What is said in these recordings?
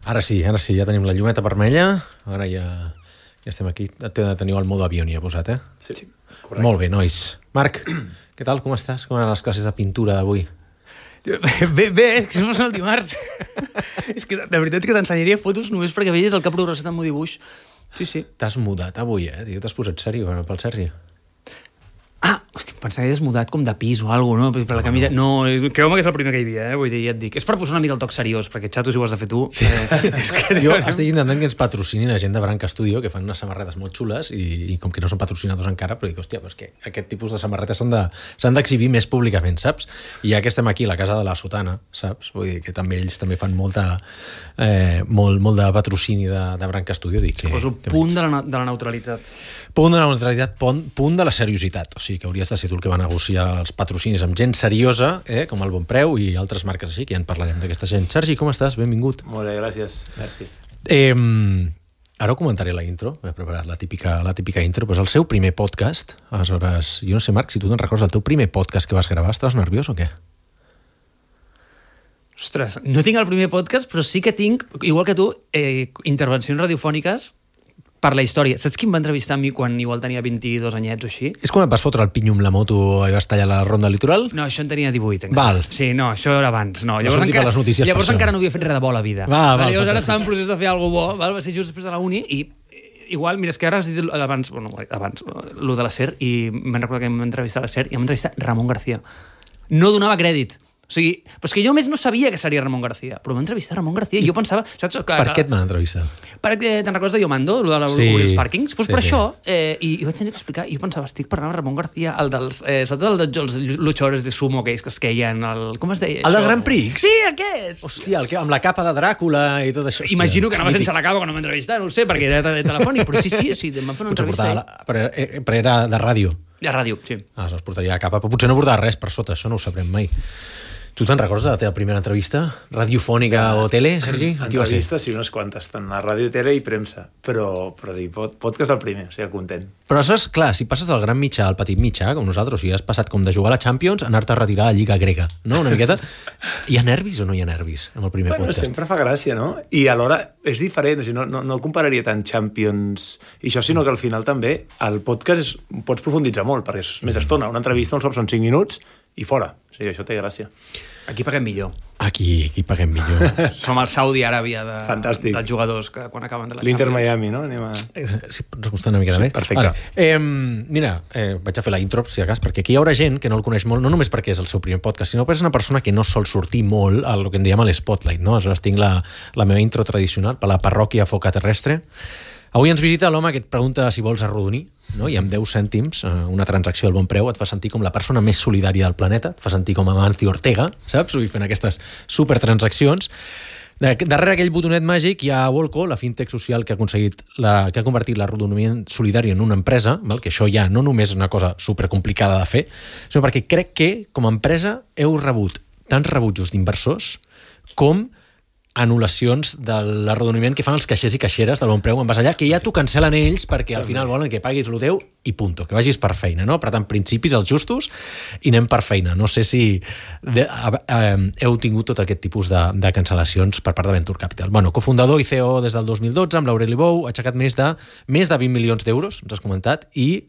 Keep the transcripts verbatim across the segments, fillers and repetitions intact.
Ara sí, ara sí, ja tenim la llumeta vermella. Ara ja, ja estem aquí. Teniu el mode avió, ja posat, eh? Sí, correcte. Molt bé, nois. Marc, què tal? Com estàs? Com eren les classes de pintura d'avui? Bé, bé, és que som el dimarts. És que de veritat que t'ensenyaria fotos només perquè veies el que ha progressat amb el dibuix. Sí, sí. T'has mudat avui, eh? Tio, t'has posat sèrio pel Sergi. Ah, pensava que és mudat com de pis o alguna cosa, no? Per la camisa... No, creu-me que és el primer que hi havia, eh? Vull dir, ja et dic. És per posar una mica el toc seriós, perquè xato si ho has de fer tu. Sí. Eh, és que, jo estic intentant que ens patrocinin la gent de Branca Studio, que fan unes samarretes molt xules, i, i com que no són patrocinadors encara, però dic, hòstia, però és que aquest tipus de samarretes s'han d'exhibir més públicament, saps? I ja que estem aquí, a la casa de la Sotana, saps? Vull dir que també ells també fan molta, eh, molt, molt de patrocini de, de Branca Studio. Dic, que, poso que punt de la, de la neutralitat. Punt de la neutralitat, punt, punt de la seriositat. O sigui, que hauries de ser tu el que va negociar els patrocinis amb gent seriosa, eh, com el Bon Preu i altres marques així, que ja en parlarem d'aquesta gent. Sergi, com estàs? Benvingut. Molt bé, gràcies. Merci. Eh, ara ho comentaré la intro, m'he preparat la típica, la típica intro, però és el seu primer podcast. Aleshores, jo no sé, Marc, si tu te'n recordes del teu primer podcast que vas gravar, estaves nerviós o què? Ostres, no tinc el primer podcast, però sí que tinc, igual que tu, eh, intervencions radiofòniques per la història. Saps qui em va entrevistar a mi quan igual tenia vint-i-dos anyets o així? És quan et vas fotre el pinyo amb la moto i vas tallar la ronda litoral? No, això en tenia divuit. Encara. Val. Sí, no, això era abans. No, Va llavors sortir per les notícies llavors per encara això. no havia fet res de bo a la vida. Va, vale, va, llavors ara fantàstic. estava en procés de fer alguna bo, val? Va ser just després de la uni i igual, mira, és que ara has dit abans, bueno, abans, lo de la SER, i me'n recordo que m'hem entrevistat a la SER i hem entrevistat Ramon García. No donava crèdit. O sigui, però és que jo més no sabia que seria Ramon García, però m'ha entrevistat Ramon García i jo pensava... Saps, que, Per què et van entrevistar? Perquè te'n recordes de Yo Mando, el de la, Sí, els pàrquings? Pues sí, per sí. això, eh, i, i vaig tenir que explicar, i jo pensava, estic parlant amb Ramon García, el dels, eh, saps el dels luchadores de sumo que es queien, el, com es deia? El això? del Grand Prix? Sí, aquest! Hòstia, el que, amb la capa de Dràcula i tot això. Hòstia, Imagino que anava mític. sense la capa quan em va entrevistar, no ho sé, perquè era de telefònic, però sí, sí, sí, em van fer una Potser entrevista. portava la... però, eh, però era de ràdio. De ràdio, sí. Ah, es portaria a capa, però potser no portava res per sota, això no ho sabrem mai. Tu te'n recordes de la teva primera entrevista? Radiofònica o tele, Sergi? Qui va ser? Entrevistes, sí, unes quantes, tant a ràdio, tele i premsa, però, però dir, pod, podcast el primer, o sigui, content. Però això és clar, si passes del gran mitjà al petit mitjà, com nosaltres, o sigui, has passat com de jugar a la Champions a anar-te a retirar a la Lliga Grega, no? Una miqueta. Hi ha nervis o no hi ha nervis amb el primer Bueno, podcast? sempre fa gràcia, no? I alhora és diferent, o sigui, no, no, no compararia tant Champions i això, sinó que al final també el podcast és, pots profunditzar molt, perquè és més estona. Una entrevista, uns cops són cinc minuts i fora. O sigui, això té gràcia. Aquí paguem millor. Aquí, aquí paguem millor. Som el Saudi Aràbia de, Fantàstic. dels jugadors que quan acaben de la L'Inter Champions. Miami, no? Anem a... Si pots acostar una miqueta Sí, més. perfecte. Vale. Eh, mira, eh, vaig a fer la intro, si de cas, perquè aquí hi haurà gent que no el coneix molt, no només perquè és el seu primer podcast, sinó perquè és una persona que no sol sortir molt al que en diem a l'Spotlight, no? Aleshores tinc la, la meva intro tradicional per la parròquia Foca Terrestre. Avui ens visita l'home que et pregunta si vols arrodonir, no? I amb deu cèntims, una transacció al bon preu, et fa sentir com la persona més solidària del planeta, et fa sentir com Amancio Ortega, saps? Vull fent aquestes supertransaccions. Darrere aquell botonet màgic hi ha Volco, la fintech social que ha aconseguit la, que ha convertit l'arrodoniment solidari en una empresa, val? Que això ja no només és una cosa supercomplicada de fer, sinó perquè crec que, com a empresa, heu rebut tants rebutjos d'inversors com anul·lacions de l'arrodoniment que fan els caixers i caixeres del bon preu en vas allà, que ja t'ho cancel·len ells perquè al final volen que paguis el teu i punto, que vagis per feina, no? Per tant, principis els justos i anem per feina. No sé si de, eh, heu tingut tot aquest tipus de, de cancel·lacions per part de Venture Capital. Bueno, cofundador i C E O des del dos mil dotze amb l'Aureli Bou, ha aixecat més de, més de vint milions d'euros, ens has comentat, i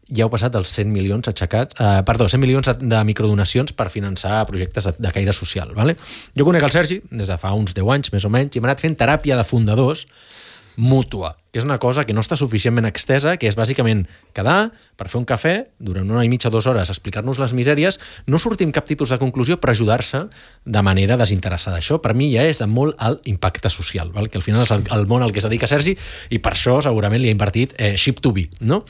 ja heu passat dels cent milions aixecats, eh, perdó, cent milions de microdonacions per finançar projectes de, de caire social. Vale? Jo conec el Sergi des de fa uns deu anys, més o menys, i m'he anat fent teràpia de fundadors mútua, que és una cosa que no està suficientment extesa, que és bàsicament quedar per fer un cafè durant una i mitja, dues hores, explicar-nos les misèries, no sortir amb cap tipus de conclusió, però ajudar-se de manera desinteressada. Això, per mi, ja és de molt alt impacte social, val? Que al final és el, el món al que es dedica Sergi, i per això segurament li ha invertit eh, Ship to Be, no?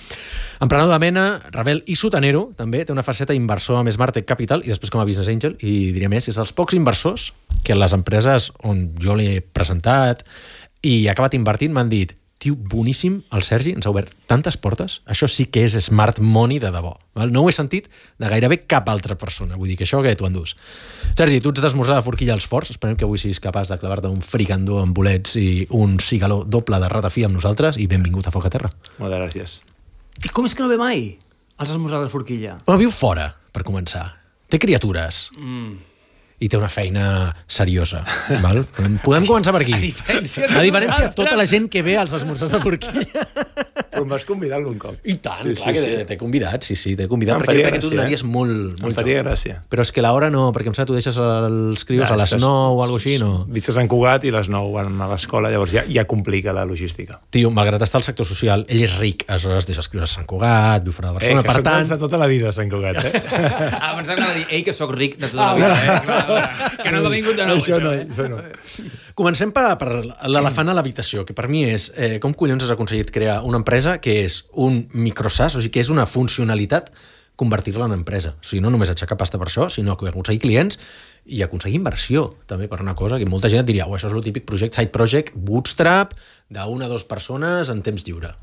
Emprenedor de mena, rebel i sotanero, també té una faceta inversor amb Smartech Capital i després com a Business Angel, i diré més, és dels pocs inversors que en les empreses on jo l'he presentat i he acabat invertint m'han dit: tio, boníssim, el Sergi ens ha obert tantes portes, això sí que és smart money de debò. Val? No ho he sentit de gairebé cap altra persona, vull dir que això que tu endús. Sergi, tu ets d'esmorzar de forquilla als forts, esperem que avui siguis capaç de clavar-te un fricandó amb bolets i un cigaló doble de ratafia amb nosaltres, i benvingut a Foc a Terra. Moltes gràcies. I com és que no ve mai els esmorzars de forquilla? Però viu fora, per començar. Té criatures. Mm. i té una feina seriosa. Val? Podem començar per aquí. A diferència de A diferència de nosaltres. tota la gent que ve als esmorzars de forquilla. Però em vas convidar algun cop. I tant, Sí, clar sí, que sí. t'he convidat, sí, sí, t'he convidat, Em perquè faria crec que tu gràcia, donaries eh? molt, Em molt faria joc. gràcia. Però és que l'hora no, perquè em sembla que tu deixes els crios Ja, a les és que- nou o alguna cosa així, no? Vist a Sant Cugat i les nou van a l'escola, llavors ja, ja complica la logística. Tio, malgrat estar al sector social, ell és ric, aleshores deixa escriure a Sant Cugat, viu fora de Eh, Barcelona, que per soc tant... de tota la vida a Sant Cugat, eh? Ah, pensava que anava a dir, ei, que sóc ric de tota la vida. Eh? Va, va, que no t'ha vingut de nou, això, no, eh? això no. Comencem per, per l'elefant a l'habitació, que per mi és eh, com collons has aconseguit crear una empresa que és un microsas, o sigui, que és una funcionalitat convertir-la en empresa. O sigui, no només aixecar pasta per això, sinó que aconseguir clients i aconseguir inversió, també, per una cosa que molta gent et diria, oh, això és el típic project, side project, bootstrap, d'una o dues persones en temps lliure.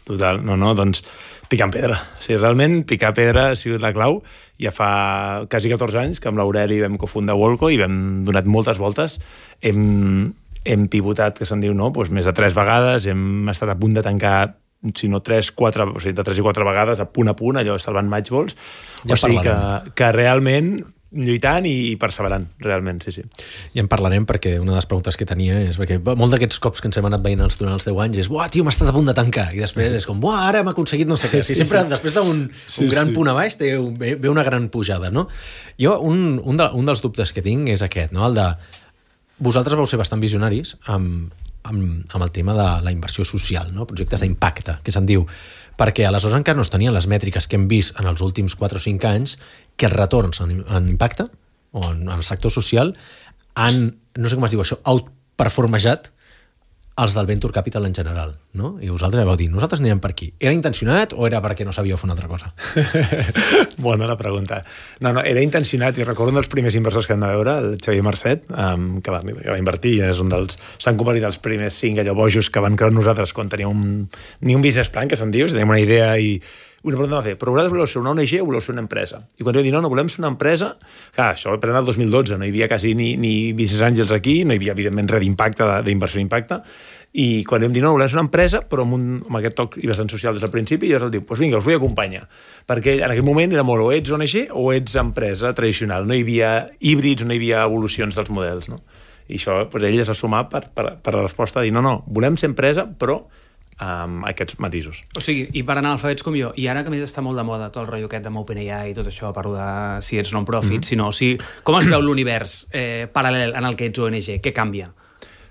Total, no, no, doncs picant pedra. O sigui, realment picar pedra ha sigut la clau. Ja fa quasi catorze anys que amb l'Aureli vam cofundar Volco i vam donat moltes voltes. Hem, hem pivotat, que se'n diu, no? Pues més de tres vegades, hem estat a punt de tancar si no tres, quatre, o sigui, de tres i quatre vegades, a punt a punt, allò salvant matchballs. Ja o sigui que, parlarem. que realment lluitant i perseverant, realment, sí, sí. I en parlarem perquè una de les preguntes que tenia és perquè molt d'aquests cops que ens hem anat veient els, durant els deu anys és buah, tio, m'ha estat a punt de tancar. I després és com, buah, ara hem aconseguit no sé què. Sí, sempre després d'un Sí, un gran sí. punt a baix té un, ve, ve una gran pujada, no? Jo, un, un, de, un dels dubtes que tinc és aquest, no? El de... Vosaltres vau ser bastant visionaris amb, amb, amb el tema de la inversió social, no? Projectes d'impacte, que se'n diu, perquè aleshores encara no es tenien les mètriques que hem vist en els últims quatre o cinc anys que els retorns en, en impacte o en, en el sector social han, no sé com es diu això, outperformejat els del Venture Capital en general, no? I vosaltres vau dir, nosaltres anirem per aquí. Era intencionat o era perquè no sabíeu fer una altra cosa? Bona la pregunta. No, no, era intencionat i recordo un dels primers inversors que hem de veure, el Xavier Marcet, um, que, va, que va invertir i és un dels... S'han convertit els primers cinc allò bojos que van creure nosaltres quan teníem un, ni un business plan, que se'n diu, si teníem una idea i una pregunta va fer, però vosaltres voleu ser una O N G o voleu ser una empresa? I quan vam dir, no, no, volem ser una empresa, clar, això va prendre el dos mil dotze, no hi havia quasi ni, ni business angels aquí, no hi havia, evidentment, res d'impacte, d'inversió d'impacte, i quan vam dir, no, volem ser una empresa, però amb, un, amb aquest toc i vessant social des del principi, i llavors el diu, doncs vinga, us vull acompanyar. Perquè en aquell moment era molt o ets O N G o ets empresa tradicional, no hi havia híbrids, no hi havia evolucions dels models, no? I això, doncs ell es va sumar per, per, per la resposta de dir, no, no, volem ser empresa, però amb aquests matisos. O sigui, i per anar alfabets com jo, i ara que més està molt de moda tot el rotllo aquest amb OpenAI i tot això, parlo de si ets non-profit, mm-hmm. si no, o sigui, com es veu l'univers eh, paral·lel en el que ets O N G? Què canvia?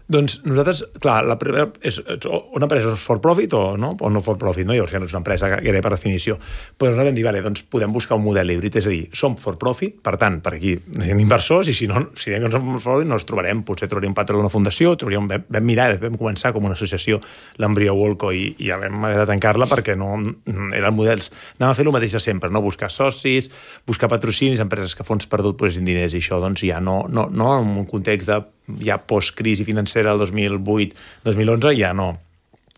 Doncs nosaltres, clar, la primera és, és una empresa és for profit o no, o no for profit, no? Llavors ja no és una empresa gairebé per definició. Però nosaltres vam dir, vale, doncs podem buscar un model híbrid, és a dir, som for profit, per tant, per aquí hi ha inversors i si no, si diem que no som for profit no els trobarem, potser trobaríem un patró d'una fundació, trobaríem, vam, vam mirar, vam començar com una associació, l'Embrió Volco, i, i ja vam haver de tancar-la perquè no eren models. Anàvem a fer el mateix de sempre, no? Buscar socis, buscar patrocinis, empreses que fons perdut posessin diners, i això doncs ja no, no, no en un context de ja post-crisi financera el dos mil vuit dos mil onze ja no,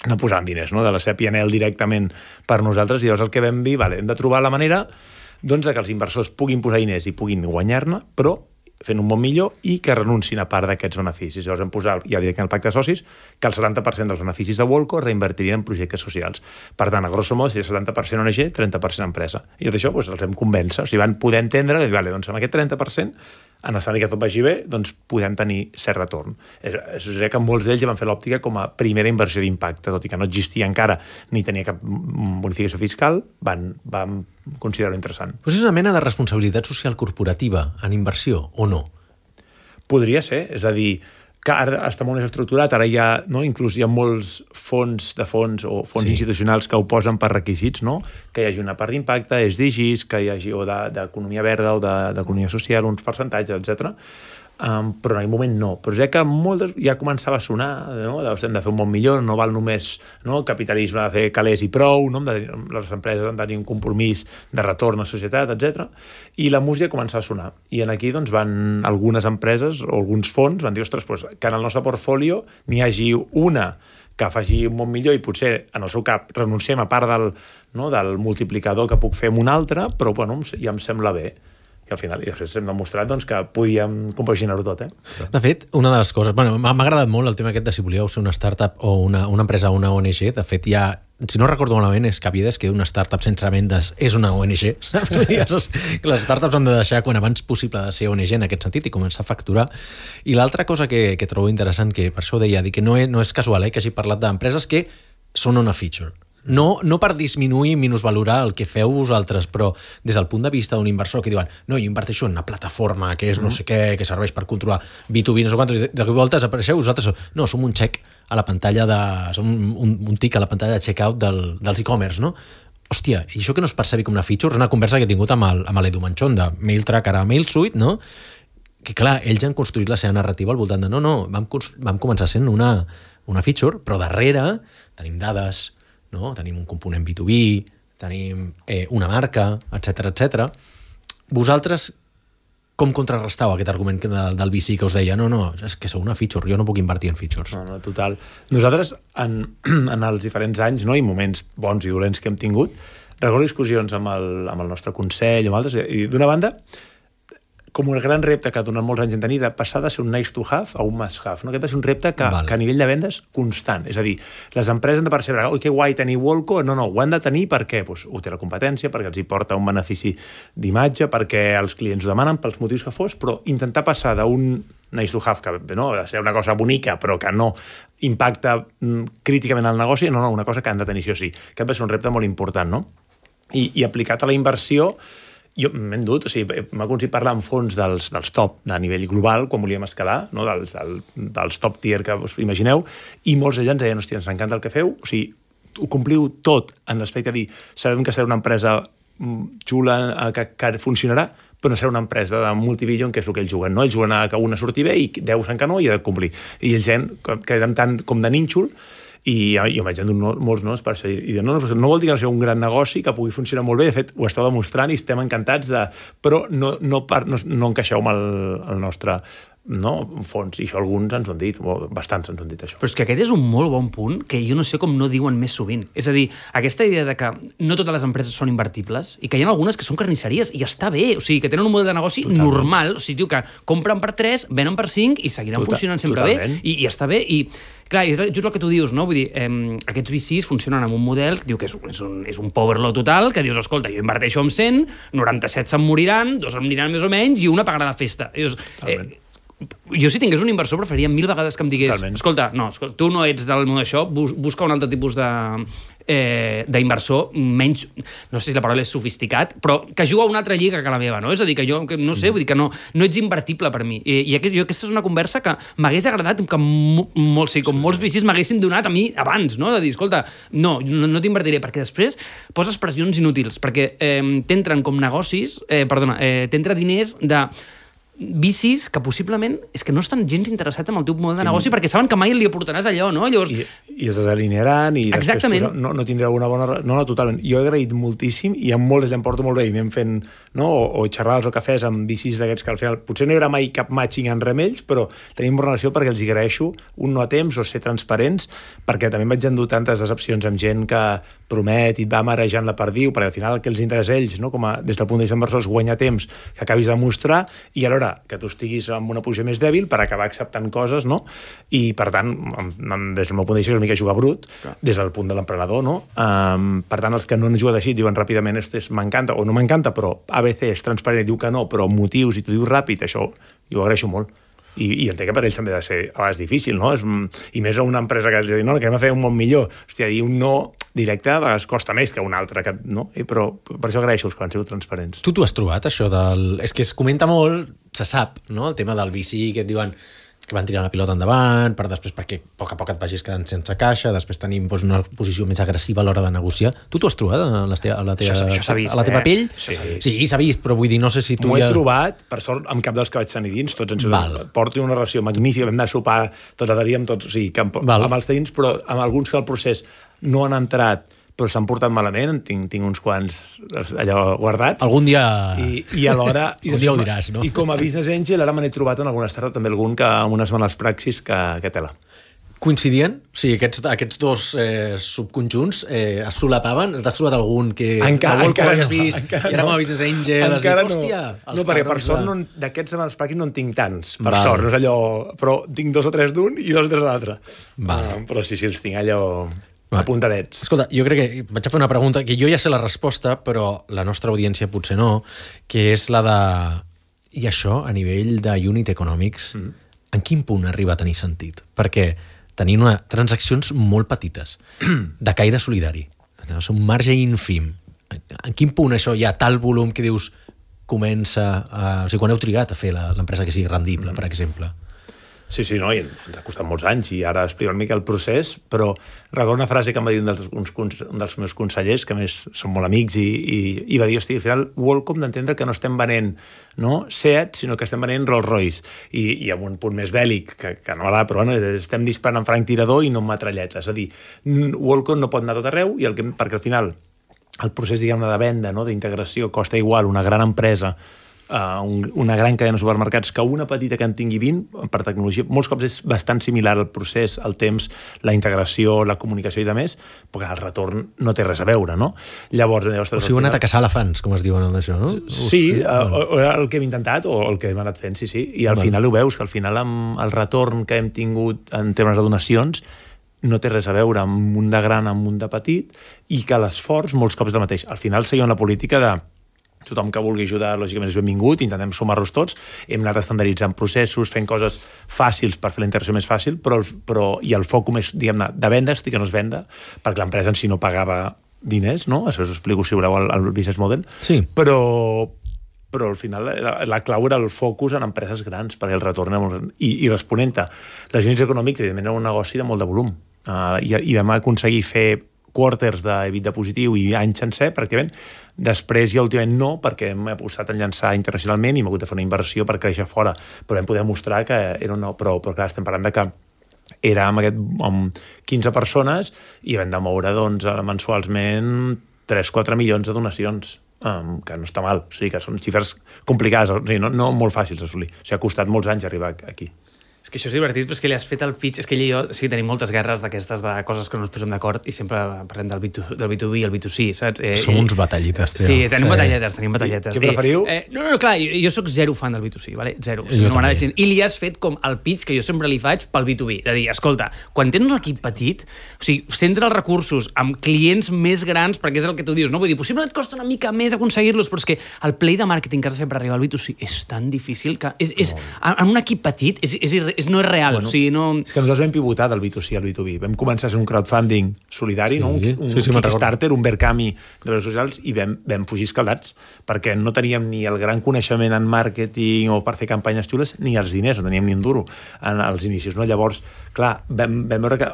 no posàvem diners, no? De la C P N L directament per nosaltres, i llavors el que vam dir, vale, hem de trobar la manera doncs, de que els inversors puguin posar diners i puguin guanyar-ne, però fent un bon millor i que renuncin a part d'aquests beneficis. Llavors vam posar ja directament al pacte de socis que el setanta per cent dels beneficis de Volco reinvertirien en projectes socials. Per tant, a grosso modo, seria setanta per cent O N G, trenta per cent empresa. I tot això doncs, els vam convèncer. O sigui, van poder entendre que vale, doncs, amb aquest trenta per cent, en escenari que tot vagi bé, doncs podem tenir cert retorn. És, és a dir, que molts d'ells ja van fer l'òptica com a primera inversió d'impacte, tot i que no existia encara ni tenia cap bonificació fiscal, van, van considerar-ho interessant. Però és una mena de responsabilitat social corporativa en inversió, o no? Podria ser, és a dir, que ara està molt més estructurat, ara hi ha, no, inclús hi ha molts fons de fons o fons Sí. institucionals que ho posen per requisits, no? Que hi hagi una part d'impacte, S D Gs, que hi hagi o d'economia verda o d'economia social, uns percentatges, etcètera. Um, però en aquell moment no. Però ja que moltes, ja començava a sonar, no? Hem de fer un món millor, no val només, no? El capitalisme de fer calés i prou, no? De, les empreses han de tenir un compromís de retorn a la societat, etcètera. I la música començava a sonar. I en aquí doncs, van algunes empreses o alguns fons van dir, ostres, doncs, que en el nostre portfolio n'hi hagi una que faci un món millor i potser en el seu cap renunciem a part del, no? Del multiplicador que puc fer amb un altre, però bueno, ja em sembla bé. i al final i després hem demostrat doncs, que podíem compaginar-ho tot. Eh? De fet, una de les coses... Bueno, m'ha agradat molt el tema aquest de si volíeu ser una startup o una, una empresa o una O N G. De fet, ja, si no recordo malament, és Cavides, que una startup sense vendes és una O N G. Saps? Les startups han de deixar quan abans possible de ser O N G en aquest sentit i començar a facturar. I l'altra cosa que, que trobo interessant, que per això ho deia, que no és, no és casual eh, que hagi parlat d'empreses que són una feature. No, no per disminuir i minusvalorar el que feu vosaltres, però des del punt de vista d'un inversor que diuen no, jo inverteixo en una plataforma que és no sé què, que serveix per controlar B dos B, no sé quantos, de cop i voltes apareixeu vosaltres, no, som un check a la pantalla de... som un, un tic a la pantalla de checkout del, dels e-commerce, no? Hòstia, i això que no es percebi com una feature és una conversa que he tingut amb el, amb l'Edu Manchón de MailTrack, ara MailSuite, no? Que clar, ells han construït la seva narrativa al voltant de no, no, vam, vam començar sent una, una feature, però darrere tenim dades, no? Tenim un component B dos B, tenim eh, una marca, etcètera, etcètera. Vosaltres com contrarrestau aquest argument del, del V C que us deia no, no, és que sou una feature, jo no puc invertir en features? No, no, total. Nosaltres, en, en els diferents anys, no, i moments bons i dolents que hem tingut, recordo discussions amb el, amb el nostre consell, amb altres, i d'una banda, com un gran repte que durant molts anys hem tenit de passar de ser un nice to have a un must have. No? Aquest va ser un repte que, vale. que a nivell de vendes constant. És a dir, les empreses han de percebre oi, que guai tenir Wolco, no, no, ho han de tenir perquè pues, ho té la competència, perquè els hi porta un benefici d'imatge, perquè els clients ho demanen pels motius que fos, però intentar passar d'un nice to have, que no, ha de ser una cosa bonica, però que no impacta mm, críticament al negoci, no, no, una cosa que han de tenir, sí o sí. Aquest va ser un repte molt important, no? I, i aplicat a la inversió, jo m'he endut, o sigui, m'ha aconseguit parlar amb fons dels, dels top de nivell global, quan volíem escalar, no? dels, el, dels top tier que us imagineu, i molts d'ells ens deien, hòstia, ens encanta el que feu, o sigui, ho compliu tot en l'aspecte de dir, sabem que serà una empresa xula, que, que funcionarà, però no serà una empresa de multibillion, que és el que ells juguen, no? Ells juguen a que una surti bé i deu se'n que no i ha de complir. I ells deien que érem tant com de nínxol, i jo vaig endur molts noms per això. I no, no, no vol dir que no sigui un gran negoci, que pugui funcionar molt bé, de fet, ho esteu demostrant i estem encantats, de... però no, no, no, no encaixeu amb el, el nostre no, fons, i això alguns ens ho han dit, bastants ens han dit això. Però és que aquest és un molt bon punt que jo no sé com no diuen més sovint. És a dir, aquesta idea de que no totes les empreses són invertibles i que hi ha algunes que són carnisseries i està bé, o sigui, que tenen un model de negoci totalment normal, o sigui, diu que compren per tres, venen per cinc i seguiran Total, funcionant sempre totalment bé i, i està bé i clar, és just el que tu dius, no? Vull dir, eh, aquests V Cs funcionen amb un model que diu que és, és un, és un power law total, que dius, escolta, jo inverteixo amb cent, noranta-set se'n moriran, dos em aniran més o menys i una pagarà la festa. I dius, eh, jo si tingués un inversor preferiria mil vegades que em digués Totalment. escolta, no, escolta, tu no ets del món d'això, bus, busca un altre tipus de eh, d'inversor menys, no sé si la paraula és sofisticat, però que juga a una altra lliga que la meva, no? És a dir, que jo, que, no sé, vull dir que no, no ets invertible per mi. I, i aquest, jo, aquesta és una conversa que m'hagués agradat que mo, molt, sí, com sí. molts V Cs m'haguessin donat a mi abans, no? De dir, escolta, no, no, no t'invertiré, perquè després poses pressions inútils, perquè eh, t'entren com negocis, eh, perdona, eh, t'entra diners de vicis que possiblement és que no estan gens interessats en el teu model de negoci perquè saben que mai li aportaràs allò, no? Llavors... I, i es desalinearan i Exactament. després no, no tindrà una bona... No, no, totalment. Jo he agraït moltíssim i amb molts em porto molt bé i anem fent no? o, o xerrades o cafès amb vicis d'aquests que al final potser no hi haurà mai cap matching en remells, però tenim relació perquè els hi agraeixo un no a temps o ser transparents, perquè també vaig endur tantes decepcions amb gent que promet i et va marejant la perdiu, perquè al final el que els interessa a ells, no? Com a, des del punt de vista inversor, és guanyar temps que acabis de mostrar i alhora que tu estiguis amb una posició més dèbil per acabar acceptant coses, no? I, per tant, des del meu punt de vista, és una mica jugar brut, Clar. des del punt de l'emprenedor, no? Um, per tant, els que no han jugat així diuen ràpidament m'encanta o no m'encanta, però A B C és transparent i diu que no, però motius i tu dius ràpid, això jo ho agraeixo molt. I, i entenc que per ells també ha de ser a vegades difícil, no? És, i més a una empresa que els diu, no, que hem de fer un món millor. Hòstia, dir un no directe a vegades costa més que un altre, que, no? I, però per això agraeixo els que han sigut transparents. Tu t'ho has trobat, això del... És que es comenta molt, se sap, no? El tema del V C, que et diuen que van tirar la pilota endavant, per després perquè a poc a poc et vagis quedant sense caixa, després tenim doncs, una posició més agressiva a l'hora de negociar. Tu t'ho has trobat a la teva, a la teva, això, això vist, a la teva eh? pell? Sí, sí s'ha vist, però vull dir, no sé si tu M'ho ja... he trobat, per sort, amb cap dels que vaig tenir dins, tots ens porto una relació magnífica, vam anar a sopar tots els dies amb tots, o sigui, amb, amb els dins, però amb alguns que al procés no han entrat, però s'han portat malament, tinc, tinc uns quants allò guardats. Algun dia... I, i alhora... I algun dia ho diràs, no? I com a business angel, ara me n'he trobat en alguna startup també algun que amb unes males praxis que, que tela. Coincidien? O sigui, aquests, aquests dos eh, subconjunts eh, es solapaven? T'has trobat algun que... Encara, encara no. Vist, encara i ara no. m'ha vist Angel, has encara dit, hòstia... No, no perquè per sort de... no, d'aquests de Mans Pràctics no en tinc tants, per Val. sort, no és allò... Però tinc dos o tres d'un i dos o tres de l'altre. Val. Uh, però sí, sí, els tinc allò Val. apuntadets. Escolta, jo crec que vaig a fer una pregunta que jo ja sé la resposta, però la nostra audiència potser no, que és la de... I això, a nivell de unit economics, mm. en quin punt arriba a tenir sentit? Perquè tenir una, transaccions molt petites, de caire solidari, és un marge ínfim. En quin punt això hi ha tal volum que dius comença a... O sigui, quan heu trigat a fer l'empresa que sigui rendible, mm. per exemple? Sí, sí, no, i ens ha costat molts anys i ara explico una mica el procés, però recordo una frase que em va dir un dels, uns, un dels meus consellers, que a més són molt amics, i, i, i va dir, hosti, al final, Wallcom d'entendre que no estem venent no, Seat, sinó que estem venent Rolls Royce, i, i amb un punt més bèl·lic, que, que no m'agrada, però bueno, estem disparant amb franc tirador i no amb metralletes. És a dir, Wallcom no pot anar tot arreu, i el que, perquè al final el procés, diguem-ne, de venda, no, d'integració, costa igual una gran empresa Uh, un, una gran cadena de supermercats que una petita que en tingui vint, per tecnologia, molts cops és bastant similar al procés, el temps, la integració, la comunicació i de més, perquè el retorn no té res a veure, no? Llavors... llavors o sigui, heu anat a caçar elefants, com es diuen d'això, no? Sí, uh, o, el que hem intentat, o el que hem anat fent, sí, sí, i al Val. final ho veus, que al final amb el retorn que hem tingut en termes de donacions no té res a veure amb un de gran, amb un de petit, i que l'esforç molts cops és el mateix. Al final seguim la política de tothom que vulgui ajudar, lògicament, és benvingut, intentem sumar-los tots, hem anat estandarditzant processos, fent coses fàcils per fer la integració més fàcil, però, però i el focus més, diguem-ne, de venda, tot i que no es venda, perquè l'empresa en si no pagava diners, no? Això us explico, si voleu, el, el business model. Sí. Però, però al final la, la clau era el focus en empreses grans, perquè el retorn era molt gran. I, i responent-te, les units econòmics, evidentment, era un negoci de molt de volum. Uh, i, I vam aconseguir fer quarters d'EBITDA positiu i any sencer, pràcticament. Després ja últimament no, perquè m'he posat a llançar internacionalment i m'he hagut de fer una inversió per créixer fora, però vam poder mostrar que era una... Però, però clar, estem parlant de que era amb, aquest, amb quinze persones i vam de moure doncs, mensualment tres a quatre milions de donacions, um, que no està mal, o sigui que són xifres complicades, o sigui, no, no molt fàcils d'assolir, o sigui, ha costat molts anys arribar aquí. És que això és divertit, però és que li has fet el pitch... És que ell i jo sí, tenim moltes guerres d'aquestes de coses que no ens posem d'acord i sempre parlem del B dos, del B dos B i el B dos C, saps? Eh, Som i, uns batallites, tio. Sí, tenim sí. batalletes, tenim batalletes. Què preferiu? Eh, no, no, clar, jo, jo soc zero fan del B dos C, vale? Zero. O sigui, no m'agrada gens. I li has fet com el pitch que jo sempre li faig pel B dos B. De dir, escolta, quan tens un equip petit, o sigui, centra els recursos amb clients més grans, perquè és el que tu dius, no? Vull dir, possiblement et costa una mica més aconseguir-los, però és que el play de màrqueting que has de fer per arribar al B dos C és tan difícil que és, és, en un equip petit és, és, és, no és real. Bueno, o sigui, no... És que nosaltres vam pivotar del B dos C al B dos B. Vam començar a ser un crowdfunding solidari, sí, no? un, un sí, sí, Kickstarter, un Berkami de redes socials, i vam, vam fugir escaldats, perquè no teníem ni el gran coneixement en màrqueting o per fer campanyes xules, ni els diners, no teníem ni un duro en els inicis. No? Llavors, clar, vam, vam veure que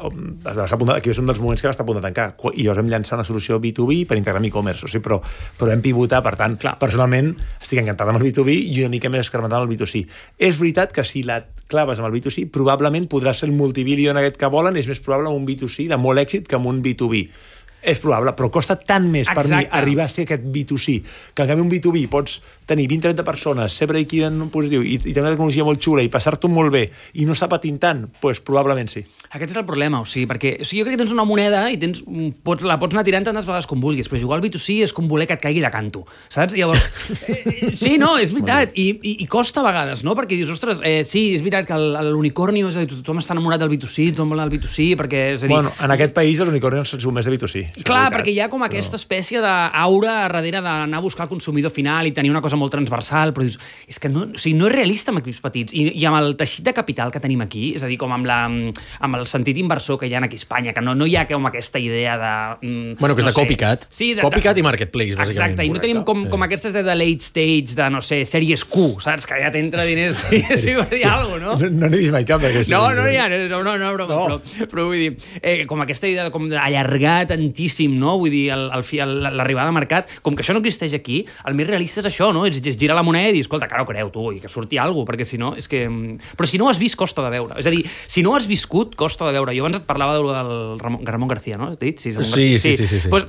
aquí és un dels moments que va estar a punt de tancar, i llavors vam llançar una solució B dos B per integrar amb e-commerce, o sigui, però, però vam pivotar, per tant, clar, personalment estic encantat amb el B dos B i una mica més escarmentat amb el B dos C. És veritat que si la claves amb el B dos C, probablement podràs ser el multibilion aquest que volen, és més probable amb un B dos C de molt èxit que amb un B dos B. És probable, però costa tant més per Exacte. mi arribar a ser aquest B dos C, que en canvi un B dos B pots tenir vint a trenta persones, ser break-even positiu i, i tenir una tecnologia molt xula i passar-t'ho molt bé i no estar patint tant, doncs probablement sí. Aquest és el problema, o sigui, perquè o sigui, jo crec que tens una moneda i tens, pots, la pots anar tirant tantes vegades com vulguis, però jugar al B dos C és com voler que et caigui de canto, saps? Llavors, eh, sí, no, és veritat, I, i, i costa a vegades, no? Perquè dius, ostres, eh, sí, és veritat que l'unicornio, és a dir, tothom està enamorat del B dos C, tothom vol el B dos C, perquè, és a dir... Bueno, en aquest país els unicornios són més de B dos C. Clar, perquè hi ha com aquesta espècie d'aura darrere d'anar a buscar el consumidor final i tenir una cosa molt transversal, però dius, és que no, o sigui, no és realista amb equips petits. I, i amb el teixit de capital que tenim aquí, és a dir, com amb, la, amb el sentit inversor que hi ha aquí a Espanya, que no, no hi ha com aquesta idea de... Mm, bueno, que és no de copycat. Sí, de, copycat i marketplace, bàsicament. Exacte, i no tenim com, com aquestes de, de late stage, de, no sé, sèries Q, saps? Que ja t'entra diners i sí, sí, hi ha alguna cosa, no? No n'he vist mai cap d'aquestes. No, no hi ha, no, no, no, broma, no. Però, però vull dir, eh, com aquesta idea de, com d'allargar tantíssim, no? Vull dir, el, el, l'arribada al mercat, com que això no existeix aquí, el més realista és això, no? És, és girar la moneda i dir, escolta, que ara ho creu tu, i que surti alguna cosa, perquè si no, és que... Però si no ho has vist, costa de veure. És a dir, si no ho has viscut, costa de veure. Jo abans et parlava del Ramon, Ramon García, no? Has dit? Sí, sí, sí, sí, sí, sí. Pues,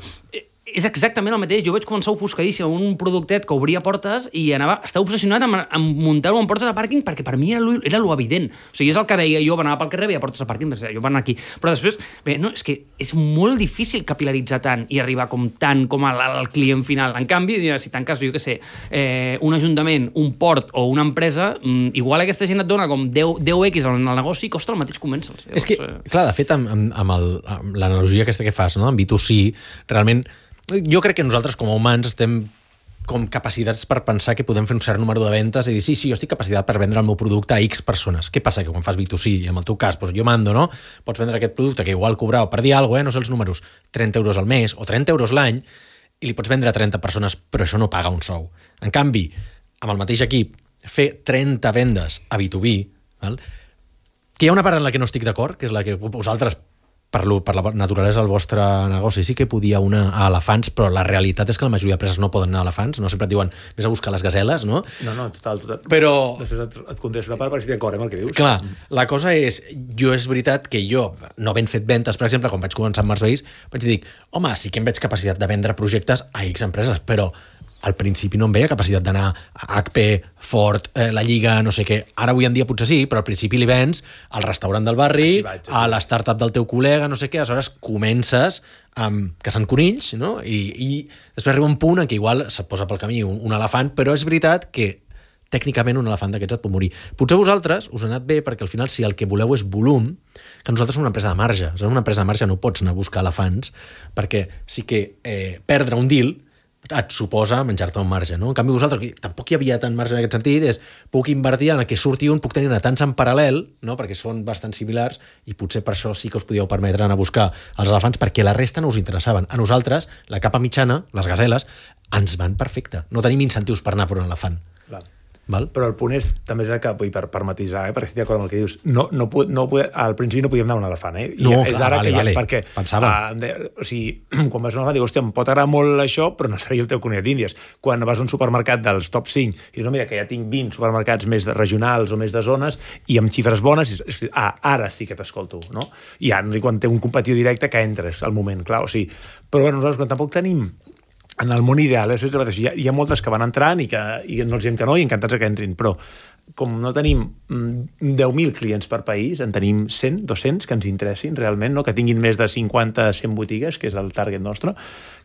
és exactament el mateix. Jo vaig començar ofuscadíssim amb un productet que obria portes i anava, estava obsessionat amb, amb muntar-ho en portes de pàrquing perquè per mi era lo, era lo evident. O sigui, és el que veia jo, anava pel carrer, veia portes de pàrquing, jo van aquí. Però després, bé, no, és que és molt difícil capilaritzar tant i arribar com tant com al, al client final. En canvi, si tanques, jo què sé, eh, un ajuntament, un port o una empresa, mm, igual aquesta gent et dona com deu equis en el negoci i costa el mateix convèncer-los. És que, clar, de fet, amb, amb, amb, el, amb l'analogia aquesta que fas, no? En B dos C, realment, jo crec que nosaltres com a humans estem com capacitats per pensar que podem fer un cert número de ventes i dir, sí, sí, jo estic capacitat per vendre el meu producte a X persones. Què passa? Que quan fas B dos C, i en el teu cas, doncs jo mando, no? Pots vendre aquest producte que igual cobrava, per dir alguna cosa, eh? No sé els números, trenta euros al mes o trenta euros l'any, i li pots vendre a trenta persones, però això no paga un sou. En canvi, amb el mateix equip, fer trenta vendes a B dos B, val? Que hi ha una part en la que no estic d'acord, que és la que vosaltres, per, lo, per la naturalesa del vostre negoci, sí que podia una a elefants, però la realitat és que la majoria d'empreses no poden anar a elefants, no sempre et diuen, vés a buscar les gaseles, no? No, no, total, total. Però... Després et, et contesto la part perquè estic d'acord amb el que dius. Clar, la cosa és, jo és veritat que jo, no havent fet ventes, per exemple, quan vaig començar amb Mercedes, vaig dir, home, sí que em veig capacitat de vendre projectes a X empreses, però al principi no em veia capacitat d'anar a H P, Ford, eh, la Lliga, no sé què. Ara avui en dia potser sí, però al principi li vens al restaurant del barri, vaig, a la startup del teu col·lega, no sé què, aleshores comences amb caçant conills, no? I, i després arriba un punt en què igual se't posa pel camí un, un elefant, però és veritat que tècnicament un elefant d'aquests et pot morir. Potser vosaltres us ha anat bé perquè al final si el que voleu és volum, que nosaltres som una empresa de marge. Si una empresa de marge no pots anar a buscar elefants perquè sí que eh, perdre un deal et suposa menjar-te un marge, no? En canvi, vosaltres, tampoc hi havia tant marge en aquest sentit, és puc invertir en el que surti un, puc tenir tants en paral·lel, no? Perquè són bastant similars, i potser per això sí que us podíeu permetre anar a buscar els elefants, perquè la resta no us interessaven. A nosaltres, la capa mitjana, les gaseles, ens van perfecte. No tenim incentius per anar per un elefant. Clar. Val? Però el punt és, també és que, vull, per, per matisar, eh, perquè estic d'acord amb el que dius, no, no, no, al principi no podíem anar a un elefant, eh? I no, és clar, ara vale, que ja, vale. perquè, Pensava. Uh, de, o sigui, quan vas a un elefant, dius, hòstia, em pot agradar molt això, però no seria el teu conillet d'Índies. Quan vas a un supermercat dels top cinc, i dius, no, mira, que ja tinc vint supermercats més de regionals o més de zones, i amb xifres bones, i dius, ah, ara sí que t'escolto, no? I ja, no sé, quan té un competidor directe que entres al moment, clar, o sigui, però bueno, nosaltres quan tampoc tenim en el món ideal, és, hi, ha, hi ha moltes que van entrant i que i no els diem que no i encantats que entrin, però com no tenim deu mil clients per país, en tenim cent, dos-cents que ens interessin realment, no? Que tinguin més de cinquanta a cent botigues, que és el target nostre,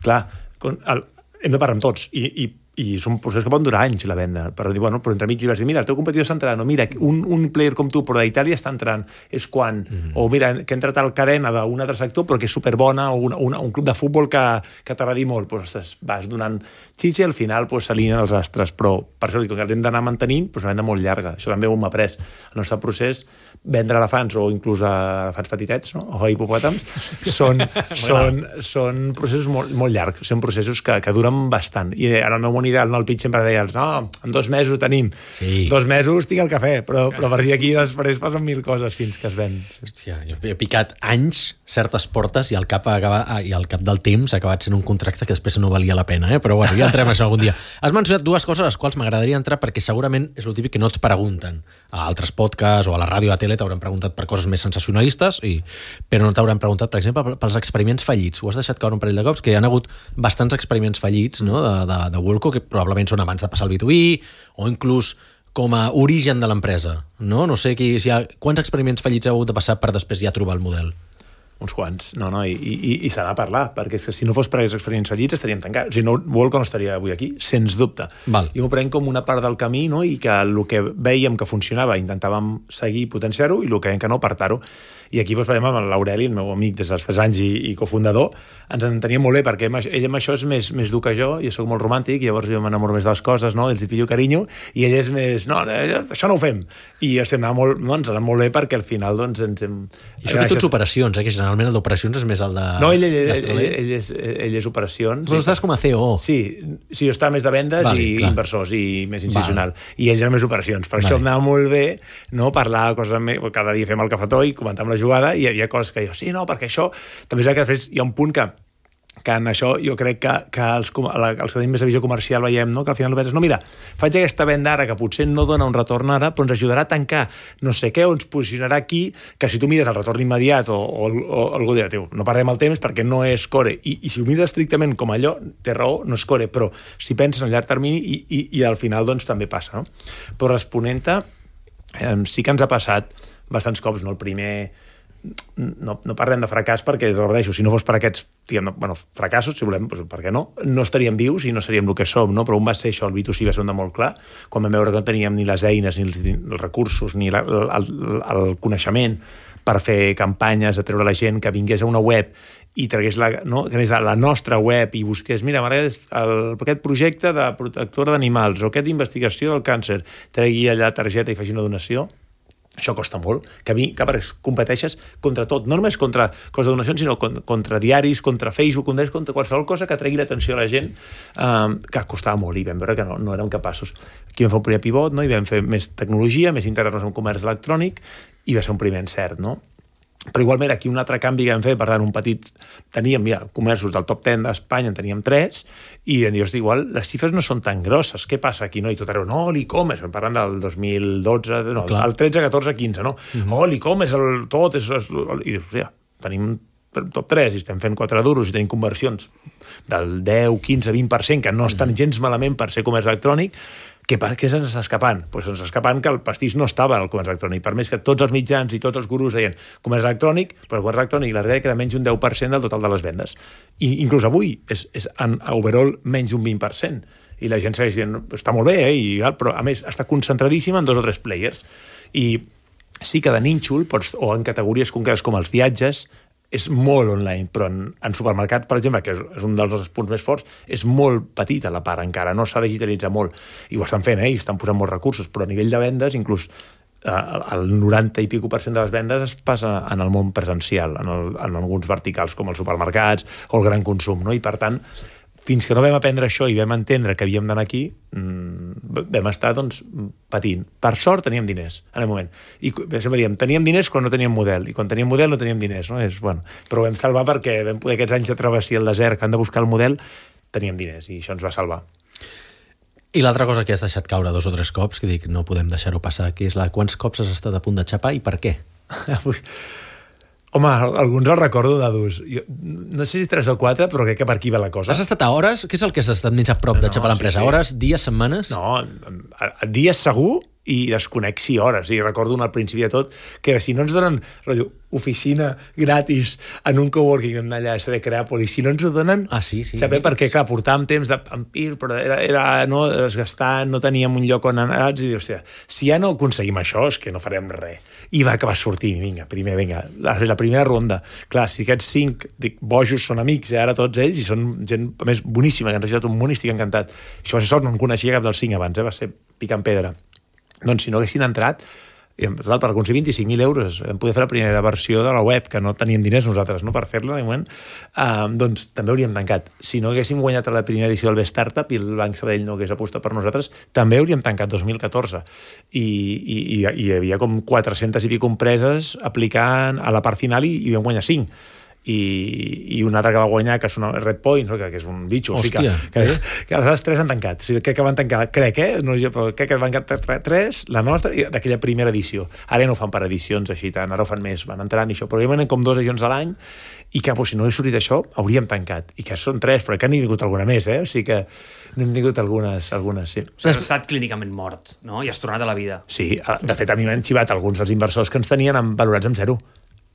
clar, el, hem de parlar amb tots i, i i és un procés que pot durar anys la venda, però dir, bueno, però entremig li vas dir, mira, el teu competidor està entrant, o mira, un, un player com tu, però d'Itàlia està entrant, és quan, mm. o mira, que ha entrat a la cadena d'un altre sector, però que és superbona, o una, una, un club de futbol que, que t'agradi molt, doncs ostres, vas donant xitxa i al final doncs, s'alineen els astres, però per això dic que els hem d'anar mantenint, però és una venda molt llarga, això també ho hem après. El nostre procés, vendre elefants o inclús elefants petitets, no? O hipopòtams, són, són, són processos molt, molt llargs, són processos que, que duren bastant. I en el meu món ideal, no, el pitch sempre deia, no, en dos mesos ho tenim. Sí. Dos mesos tinc el cafè, però, però a partir d'aquí després passen mil coses fins que es ven. Hòstia, jo he picat anys certes portes i al cap, acaba, i al cap del temps ha acabat sent un contracte que després no valia la pena, eh? Però bueno, ja entrem a això algun dia. Has mencionat dues coses a les quals m'agradaria entrar perquè segurament és el típic que no et pregunten a altres podcasts o a la ràdio o a la tele t'hauran preguntat per coses més sensacionalistes, i, però no t'hauran preguntat, per exemple, pels experiments fallits. Ho has deixat caure un parell de cops, que hi ha hagut bastants experiments fallits, no? de, de, de Wellco, que probablement són abans de passar el B dos B, o inclús com a origen de l'empresa. No, no sé qui, si hi ha, quants experiments fallits heu hagut de passar per després ja trobar el model? Uns quants, no, no, i, i, i s'ha de parlar, perquè és que si no fos per aquests experiments fallits estaríem tancats. O sigui, no, Wellco no estaria avui aquí, sens dubte. Val. I m'ho prenc com una part del camí, no? I que el que vèiem que funcionava intentàvem seguir i potenciar-ho, i el que veiem que no, apartar-ho. I aquí, doncs, per exemple, amb l'Aureli, el meu amic des dels tres anys i, i cofundador, ens enteníem molt bé, perquè ell amb això és més, més dur que jo, jo soc molt romàntic, i llavors jo m'enamoro més de les coses, no? Els hi pillo carinyo, i ell és més, no, això no ho fem. I estem anant molt, no, ens anant molt bé perquè al final, doncs, ens hem... I això que tots operacions, eh? Que generalment el d'operacions és més el de... No, ell, ell, ell, ell, ell, és, ell és operacions. Però estàs com a C E O. Sí, sí, jo estava més de vendes vale, i clar. Inversors i més institucional. Vale. I ell era més operacions. Per vale. Això em anava molt bé, no? Parlar coses més... Cada dia fem el cafetó i comentar amb la jugada, i hi havia coses que jo, sí, no, perquè això... També és que després hi ha un punt que que en això jo crec que, que els, els que tenim més de visió comercial veiem, no? Que al final penses, no, mira, faig aquesta venda ara que potser no dona un retorn ara, però ens ajudarà a tancar no sé què o ens posicionarà aquí, que si tu mires el retorn immediat o, o, o algú dirà, tio, no perdem el temps perquè no és core. I, i si ho mires estrictament com allò, té raó, no és core, però si penses en llarg termini i, i, i al final doncs també passa, no? Però responent-te, eh, sí que ens ha passat bastants cops, no? El primer... No, no parlem de fracàs perquè, repeteixo, si no fos per aquests diguem, bueno, fracassos, si volem, doncs, per què no? No estaríem vius i no seríem el que som, no? Però un va ser això, el B dos C va ser un de molt clar, quan vam veure que no teníem ni les eines, ni els, els recursos, ni la, el, el coneixement per fer campanyes, a treure la gent que vingués a una web i tragués la, no? que anés a la nostra web i busqués, mira, el, aquest projecte de protectora d'animals o aquest d'investigació del càncer, tregui allà targeta i faci una donació. Això costa molt, que a mi, que competeixes contra tot, no només contra coses de donacions, sinó contra diaris, contra Facebook, contra qualsevol cosa que tregui l'atenció a la gent, eh, que costava molt i vam veure que no, no érem capaços. Aquí vam fer un primer pivot, no? I vam fer més tecnologia, més integrar-nos en comerç electrònic i va ser un primer encert, no? Però igualment aquí un altre canvi que vam fer, per tant, un petit... Teníem ja comerços del top deu d'Espanya, en teníem tres, i vam dir, hosti, igual les xifres no són tan grosses, què passa aquí? No? I tot arreu, no, l'e-commerce, parlant del dos mil dotze, no, Clar. el tretze, catorze, quinze, no? Mm-hmm. Oh, l'e-commerce, el, tot és... és I dius, ja, tenim top tres i estem fent quatre duros i tenim conversions del deu, quinze, vint per cent, que no estan gens malament per ser comerç electrònic. Què, què se'ns està escapant? Pues se'ns està escapant que el pastís no estava al comerç electrònic. Per més que tots els mitjans i tots els gurus deien comerç electrònic, però el comerç electrònic la realitat era menys d'un deu per cent del total de les vendes. I inclús avui és, és en overall menys d'un vint per cent. I la gent segueix dient, està molt bé, eh? I, però a més està concentradíssima en dos o tres players. I sí que de nínxol, pots, o en categories concretes com els viatges, és molt online, però en, en supermercat, per exemple, que és, és un dels nostres punts més forts, és molt petita la part encara, no s'ha de digitalitzar molt. I ho estan fent, eh? I estan posant molts recursos, però a nivell de vendes, inclús eh, el noranta i pico per cent de les vendes es passa en el món presencial, en, el, en alguns verticals com els supermercats o el gran consum, no? I per tant, fins que no vam aprendre això i vam entendre que havíem d'anar aquí, mmm, vam estar, doncs, patint. Per sort teníem diners, en el moment. I sempre diem, teníem diners quan no teníem model, i quan teníem model no teníem diners, no? És, bueno, però ho vam salvar perquè vam poder aquests anys de travessia al desert que han de buscar el model, teníem diners, i això ens va salvar. I l'altra cosa que has deixat caure dos o tres cops, que dic, no podem deixar-ho passar, que és la quants cops has estat a punt de xapar i per què? Home, alguns els recordo d'adults. No sé si tres o quatre, però crec que per aquí va la cosa. Has estat a hores? Què és el que has estat més a prop no, de xapar l'empresa? Sí, sí. Hores, dies, setmanes? No, a, a dies segur i desconec sí hores. I recordo un al principi de tot que si no ens donen rotllo, oficina gratis en un coworking en allà a de Creàpolis, si no ens ho donen... Ah, sí, sí. Saber perquè, clar, portàvem temps de vampir, però era, era no, desgastant, no teníem un lloc on anar, i hòstia, si ja no aconseguim això, és que no farem res. I va acabar sortint, vinga, primer, vinga, la, la primera ronda. Clar, si aquests cinc, dic, bojos són amics, eh, ara tots ells, i són gent, a més, boníssima, que han registrat un munt i estic encantat. Això va ser sort, no en coneixia cap dels cinc abans, eh, va ser picant pedra. Doncs si no haguessin entrat, total, per aconseguir vint-i-cinc mil euros vam poder fer la primera versió de la web, que no teníem diners nosaltres, no, per fer-la en moment, uh, doncs també hauríem tancat. Si no haguéssim guanyat a la primera edició del B-Startup i el Banc Sabadell no hagués apostat per nosaltres, també hauríem tancat dos mil catorze. I, i, i hi havia com quatre-centes i pico empreses aplicant a la part final i, i vam guanyar cinc. I, i una altra que va guanyar, que és una Red Point, no? que, que és un bitxo. Hòstia, o sigui que, que, que les tres han tancat. O sigui, crec que van tancar, crec, eh? No, jo, però crec que van tancar tres, la nostra, i d'aquella primera edició. Ara no fan per edicions així tant, ara ho fan més, van entrant i això, però hi venen com dos edicions a l'any, i que, pues, si no hagués sortit això, hauríem tancat. I que són tres, però que n'hi ha tingut alguna més, eh? O sigui que n'hem tingut algunes, algunes, sí. Has estat clínicament mort, no? I has tornat a la vida. Sí, de fet, a mi m'han xivat alguns dels inversors que ens tenien valorats amb zero.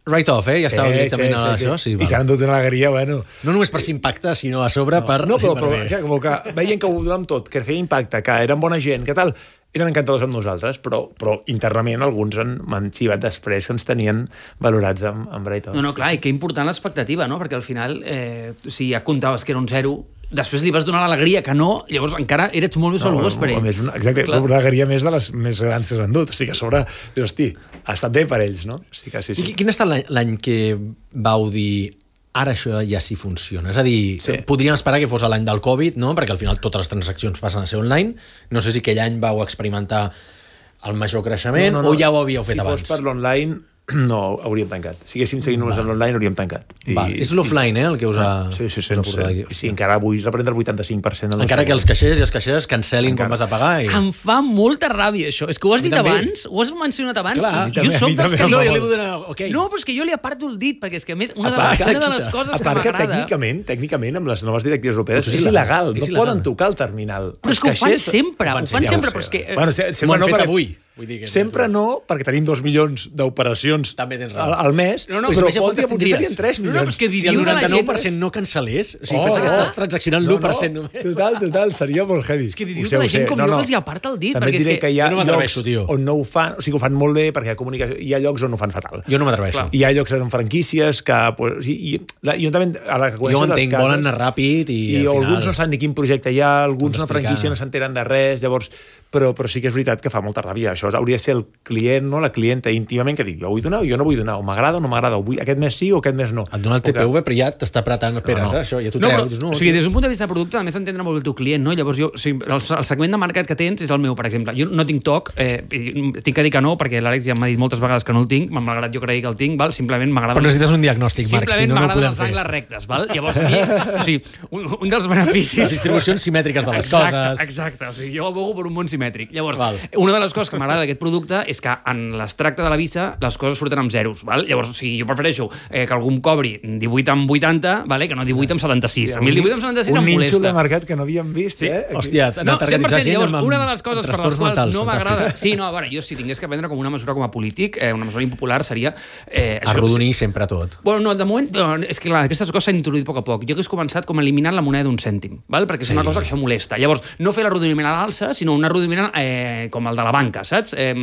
Right off, eh? Ja sí, estava directament sí, a sí, això. Sí. Sí, I s'han dut una alegria, bueno... No només per s'impactar, sinó a sobre no, per... No, però, però que, com que veien que ho donàvem tot, que feia impacte, que eren bona gent, que tal... Eren encantadors amb nosaltres, però, però internament alguns m'han xivat després que ens tenien valorats amb, amb Right Off. No, no, clar, i que important l'expectativa, no? Perquè al final, eh, si ja comptaves que era un zero, després li vas donar l'alegria que no, llavors encara eres molt més valuós no, per ell. Més una, exacte, clar. Una alegria més de les més grans que s'han dut. O sigui que a sobre, dius, hosti, ha estat bé per ells, no? O sigui que sí, sí. I quin ha estat l'any que vau dir ara això ja sí funciona? És a dir, sí. podríem esperar que fos l'any del Covid, no? Perquè al final totes les transaccions passen a ser online. No sé si aquell any vau experimentar el major creixement no, no, no. o ja ho havíeu fet si abans. Si fos per l'online, no hauríem tancat. Si haguéssim seguit només en l'online, hauríem tancat. I, és l'offline, eh, el que us ha... Sí, sí, sense... Sí, encara avui representa el vuitanta-cinc per cent. Encara que els caixers i els caixeres cancel·lin quan vas a pagar. I... Em fa molta ràbia, això. És que ho has dit abans, ho has mencionat abans, clar, i jo soc dels que... No, jo li vull donar... Okay. No, però és que jo li aparto el dit, perquè és que, a més, una de les, una de les coses que m'agrada... tècnicament, tècnicament, amb les noves directives europees, és il·legal. No poden tocar el terminal. Però és que ho fan sempre, ho fan sempre, però és que... Bueno, sempre no, perquè... avui. Vull dir que sempre no, perquè tenim dos milions d'operacions al, al mes, no, no, però pot dir que serien tres milions. No, no, és que si el noranta-nou per cent no cancel·lés, o sigui, oh, pensa que estàs oh. transaccionant l'u per cent només. Total, total, seria molt heavy. És que dius que la gent com jo els hi aparta el dit. També et diré que hi ha no llocs on no ho fan, o sigui, ho fan molt bé, perquè hi ha comunicació, hi ha llocs on ho fan fatal. Jo no m'atreveixo. Hi ha llocs amb franquícies que... Pues, i, i, la, jo també, a la que jo entenc, volen anar ràpid i, i al final... alguns no saben ni quin projecte hi ha, alguns una franquícia no s'enteren de res, llavors... Però, però sí que és veritat que fa molta ràbia. Això hauria de ser el client, no? La clienta íntimament que diu, jo vull donar o jo no vull donar, o m'agrada o no m'agrada, aquest mes sí o aquest mes no. Et dona el T P V, però ja t'està apretant peres, no, no. això, ja t'ho no, treus. No, o sigui, des d'un punt de vista de producte, a més entendre molt el teu client, no? Llavors, jo, o sigui, el, el segment de mercat que tens és el meu, per exemple. Jo no tinc TOC, eh, tinc que dir que no, perquè l'Àlex ja m'ha dit moltes vegades que no el tinc, malgrat jo cregui que el tinc, val? Simplement m'agrada... Però necessites un diagnòstic, Marc, si no, no ho podem fer. Simplement m'agraden els angles rectes, val? Llavors, aquí, o sigui, un, un dels beneficis... Les distribucions simètriques de les exacte, coses... Exacte, o sigui, jo abogo per un món simètric. Llavors, val. Una de les coses que m'agrada d'aquest producte és que en l'extracte de la visa les coses surten amb zeros, val? Llavors, o sigui, jo prefereixo eh, que algú em cobri divuit amb vuitanta, vale? Que no divuit amb setanta-sis. A mi el divuit amb setanta-sis em molesta. Un nínxol de mercat que no havíem vist, sí. eh? Aquí. Hòstia, no, cent per cent. Llavors, una de les coses per les quals mentals, no m'agrada... Sí, no, a veure, jo si tingués que prendre com una mesura com a polític, eh, una mesura impopular seria... Eh, arrodonir sempre tot. Bueno, no, de moment, no, és que clar, aquestes coses s'han introduït a poc a poc. Jo hagués començat com eliminant la moneda d'un cèntim, val? Perquè és sí. una cosa que això molesta. Llavors, no fer l'arrodoniment a l'alça, sinó un arrodoniment eh, com el de la banca, saps? Eh,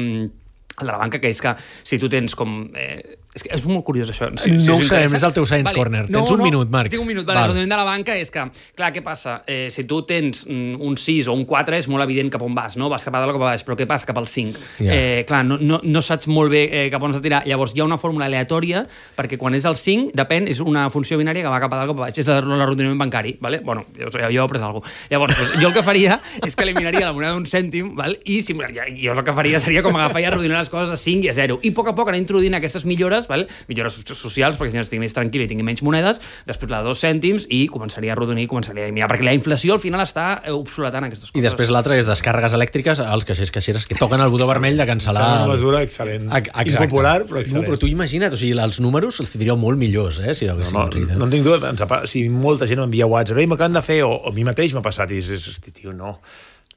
el de la banca, que és que si tu tens com... Eh, és, que és molt curiós, això. Si, no si ho sabem, és el teu Science vale. Corner. No, tens un no, minut, Marc. Tinc un minut. Vale, el de la banca és que, clar, què passa? Eh, si tu tens mm, un sis o un quatre, és molt evident cap on vas, no? Vas cap a dalt o cap a baix, però què passa cap al cinc? Yeah. Eh, clar, no, no, no saps molt bé eh, cap on has de tirar. Llavors, hi ha una fórmula aleatòria, perquè quan és el cinc, depèn, és una funció binària que va cap a dalt o cap a baix. És l'arrodoniment bancari, vale? Bueno, jo, jo he après alguna cosa. Llavors, doncs, jo el que faria és que eliminaria la moneda d'un cèntim, val? I si, jo el que faria seria com agafar i arrodonir les coses a cinc i a zero. I a poc a poc anar introduint aquestes millores, val? Millores socials, perquè si no estigui més tranquil i tingui menys monedes, després la de dos cèntims i començaria a arrodonir, començaria a eliminar, perquè la inflació al final està obsoletant aquestes coses. I després l'altra és descàrregues elèctriques als caixers caixeres que toquen el botó vermell de cancel·lar... És una mesura excel·lent. Impopular, però excel·lent. No, però tu imagina't, o sigui, els números els tindríeu molt millors, eh, si haguéssim no, no, no en tinc dubte, si molta gent m'envia WhatsApp, ei, m'acaben de fer, o, o a mi mateix m'ha passat, i és, hosti, tio, no.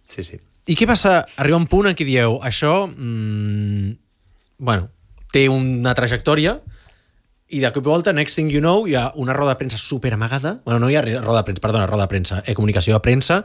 Sí, sí. I què passa? Arriba un punt en què dieu, això, mmm, bueno, té una trajectòria, i de cop i volta, next thing you know, hi ha una roda de premsa super amagada, bueno, no hi ha roda de premsa, perdona, roda de premsa, eh, comunicació de premsa,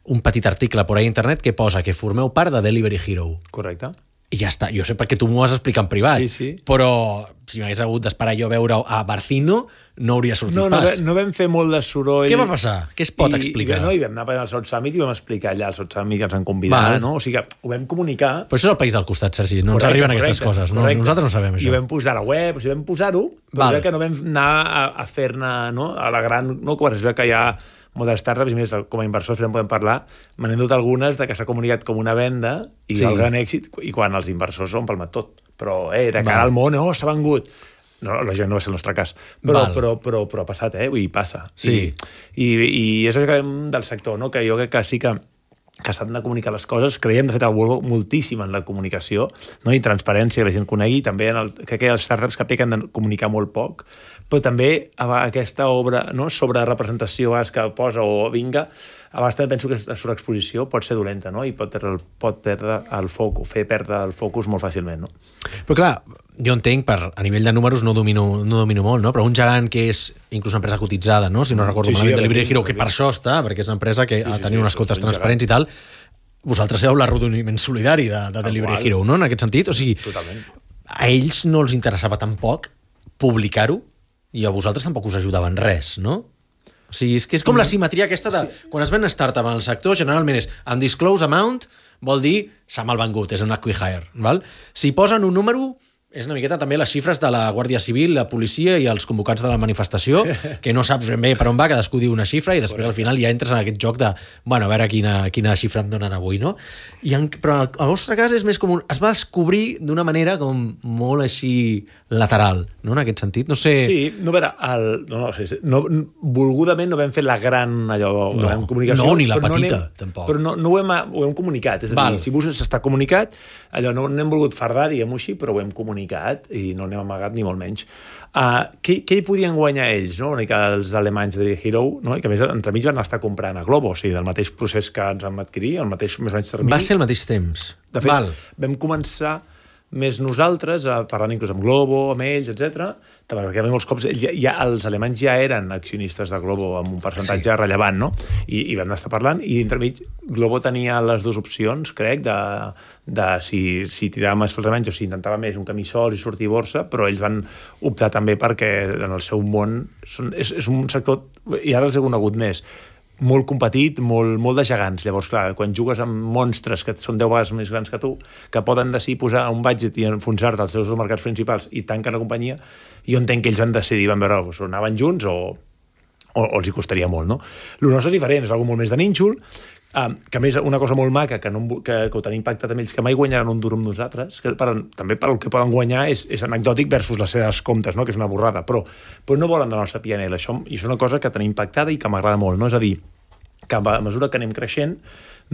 un petit article por ahí a internet que posa que formeu part de Delivery Hero. Correcte. I ja està, jo sé perquè tu m'ho vas explicar en privat, sí, sí. Però si m'hagués hagut d'esperar jo a veure a Barcino, no hauria sortit no, no, pas. No vam fer molt de soroll. Què va passar? Què es pot I, explicar? I, no, i vam anar al South Summit i vam explicar allà al South Summit que ens han convidat, no? O sigui que ho vam comunicar... Però això és el país del costat, Sergi, no correcte, ens arriben aquestes correcte, coses, no? Correcte. Nosaltres no sabem això. I ho vam posar a la web, o sigui, vam posar-ho, però vale. Que no vam anar a, a fer-ne, no? A la gran... No, quan es veu que hi ha moltes startups, i més, com a inversors en podem parlar, me n'he dut algunes de que s'ha comunicat com una venda i sí. El gran èxit, i quan els inversors s'ho han palmat tot. Però, eh, de cara vale. Al món, oh, s'ha vengut. No, lògicament no va ser el nostre cas, però, però, però, però ha passat, eh? Vull dir, passa. Sí. I, i, i és el que dèiem del sector, no? Que jo crec que sí que que s'han de comunicar les coses. Creiem, de fet, moltíssim en la comunicació, no? I transparència, que la gent conegui, també en el, crec que els startups que pequen de comunicar molt poc, però també aquesta obra, no? Sobre representació que posa o vinga, a vegades també penso que la sobreexposició pot ser dolenta, no? I pot perdre, pot perdre el focus, fer perdre el focus molt fàcilment, no? Però clar, jo entenc, per, a nivell de números no domino, no domino molt, no? Però un gegant que és inclús una empresa cotitzada, no? Si no recordo sí, malament, sí, Delivery Hero, que per això està, perquè és una empresa que sí, sí, tenia sí, unes cotes transparents i tal, vosaltres heu l'arrodoniment solidari de, de Delivery Hero, no? En aquest sentit, o sigui, totalment. A ells no els interessava tampoc publicar-ho i a vosaltres tampoc us ajudava en res, no? O sigui, és que és com la simetria aquesta de... Sí. Quan es ven startup en el sector, generalment és undisclosed amount, vol dir s'ha malvengut, és un acqui-hire, val? Si posen un número, És una miqueta també les xifres de la Guàrdia Civil, la policia i els convocants de la manifestació, que no saps ben bé per on va, cadascú diu una xifra i després al final ja entres en aquest joc de, bueno, a veure quina, quina xifra em donen avui, no? I en, però el vostre cas és més com un, es va descobrir d'una manera com molt així lateral, no? En aquest sentit, no sé... Sí, no, a veure, el, no, no, sí, no, volgudament no vam fer la gran, allò, no, gran comunicació. No, ni la petita, no anem, tampoc. Però no, no ho, hem, ho hem comunicat, és a dir, Val. si vos està comunicat, allò no n'hem volgut fardar, diguem-ho així, però ho hem comunicat i no n'hem amagat ni molt menys. Uh, què, què hi podien guanyar ells, no? Una mica els alemanys de Hero, no? I que a més entremig van estar comprant a Globo, o sigui, del mateix procés que ens vam adquirir, el mateix més o menys termini. Va ser al mateix temps. De fet, Val. vam començar més nosaltres, a parlant inclús amb Globo, amb ells, etcètera, perquè molts cops ja, ja, els alemanys ja eren accionistes de Globo amb un percentatge sí. rellevant, no? I, i vam estar parlant, i entremig Globo tenia les dues opcions, crec, de, de si, si tirava més els alemanys o si intentava més un camí sol i sortir borsa, però ells van optar també perquè en el seu món són, és, és un sector, i ara els he conegut més, molt competit, molt, molt de gegants. Llavors, clar, quan jugues amb monstres que són deu vegades més grans que tu, que poden decidir posar un budget i enfonsar-te als seus mercats principals i tanquen la companyia, jo entenc que ells van decidir, van veure, o anaven junts o, o, o els hi costaria molt, no? El nostre és diferent, és una molt més de nínxol, Um, que a més una cosa molt maca que, no, que, que ho tenim impactat amb ells, que mai guanyaran un duro amb nosaltres, que per, també per el que poden guanyar és, és anecdòtic versus les seves comptes, no? Que és una borrada, però, però no volen de la nostra P and L, això, i és una cosa que tenim impactada i que m'agrada molt, no? És a dir, que a mesura que anem creixent,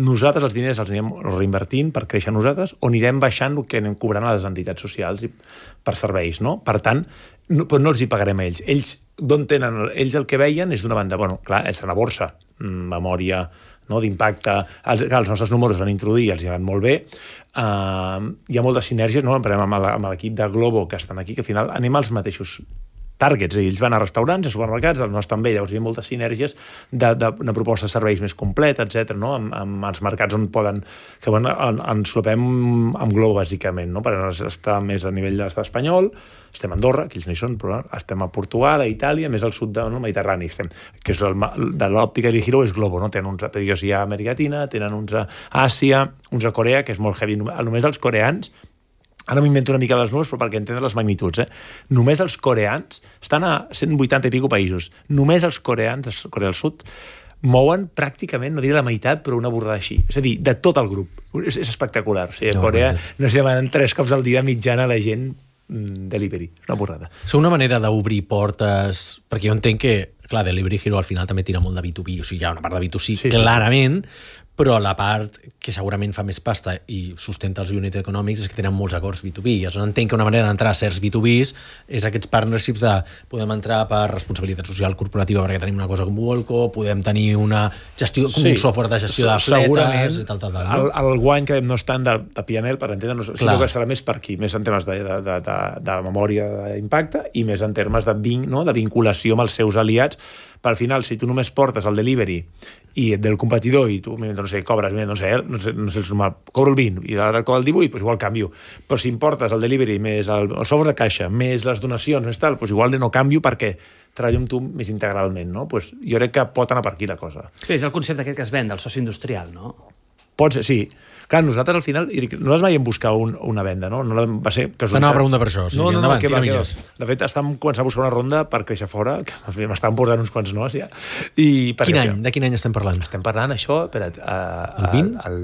nosaltres els diners els anirem reinvertint per créixer nosaltres o anirem baixant el que anem cobrant a les entitats socials i per serveis, no? Per tant, no, però no els hi pagarem a ells. Ells, d'on tenen, ells el que veien és d'una banda, bueno, clar, és a la borsa, memòria, no, d'impacte, els, els nostres números van introduir, els hi van molt bé, uh, hi ha moltes sinergies, no? Amb l'equip de Globo que estan aquí, que al final anem als mateixos targets, ells van a restaurants, a supermercats, el nostre també, llavors hi ha moltes sinergies de, de, de propostes de serveis més completa, etcètera, no? Amb, amb els mercats on poden, que bueno, ens solapem amb Globo, bàsicament, no? Per estar més a nivell de l'estat espanyol, estem a Andorra, que ells no hi són, però estem a Portugal, a Itàlia, més al sud del no, Mediterrani, estem, que és el, de l'òptica de Hero és Globo, no? Tenen uns a Pediosia a Amèrica Llatina, tenen uns a Àsia, uns a Corea, que és molt heavy, només els coreans. Ara m'invento una mica les números, però perquè entendre les magnituds, eh? Només els coreans estan a cent vuitanta i pico països. Només els coreans, Corea del Sud, mouen pràcticament, no diré la meitat, però una borrada així. És a dir, de tot el grup. És, és espectacular. O sigui, a Corea no es demanen tres cops al dia mitjana a la gent delivery. És una borrada. És una manera d'obrir portes, perquè jo entenc que, clar, Delivery Hero al final també tira molt de B dos B, o sigui, hi ha una part de B dos C, sí, clarament, sí. Però la part que segurament fa més pasta i sustenta els unit econòmics és que tenen molts acords B dos B. Llavors entenc que una manera d'entrar a certs B dos Bs és aquests partnerships de podem entrar per responsabilitat social corporativa perquè tenim una cosa com Volco, podem tenir una gestió, com sí. un software de gestió de fletes i tal, tal, tal. No? El, el guany que no és tant de, de P and L, per entendre'ns, sinó que serà més per aquí, més en termes de, de, de, de, de memòria d'impacte i més en termes de, vin, no? de vinculació amb els seus aliats. Per al final, si tu només portes el delivery i del competidor i tu, no sé, cobres, no sé, no sé, no sé el sumar, cobro el vint i l'altre cobra el divuit, doncs igual canvio. Però si importes el delivery més el, el software de caixa, més les donacions, més tal, doncs igual no canvio perquè treballo amb tu més integralment, no? Doncs jo crec que pot anar per aquí la cosa. Sí, és el concepte aquest que es ven, del soci industrial, no? Pot ser, sí. Clar, nosaltres al final, nosaltres mai hem buscat un, una venda, no? no va ser T'anava a preguntar per això. O sigui, no, no, endavant, no, que va, que va. que De fet, estàvem començant a buscar una ronda per créixer fora, que m'estaven portant uns quants no, ja. I quin any? De quin any estem parlant? Estem parlant, això, espera't... Uh, el vint? El,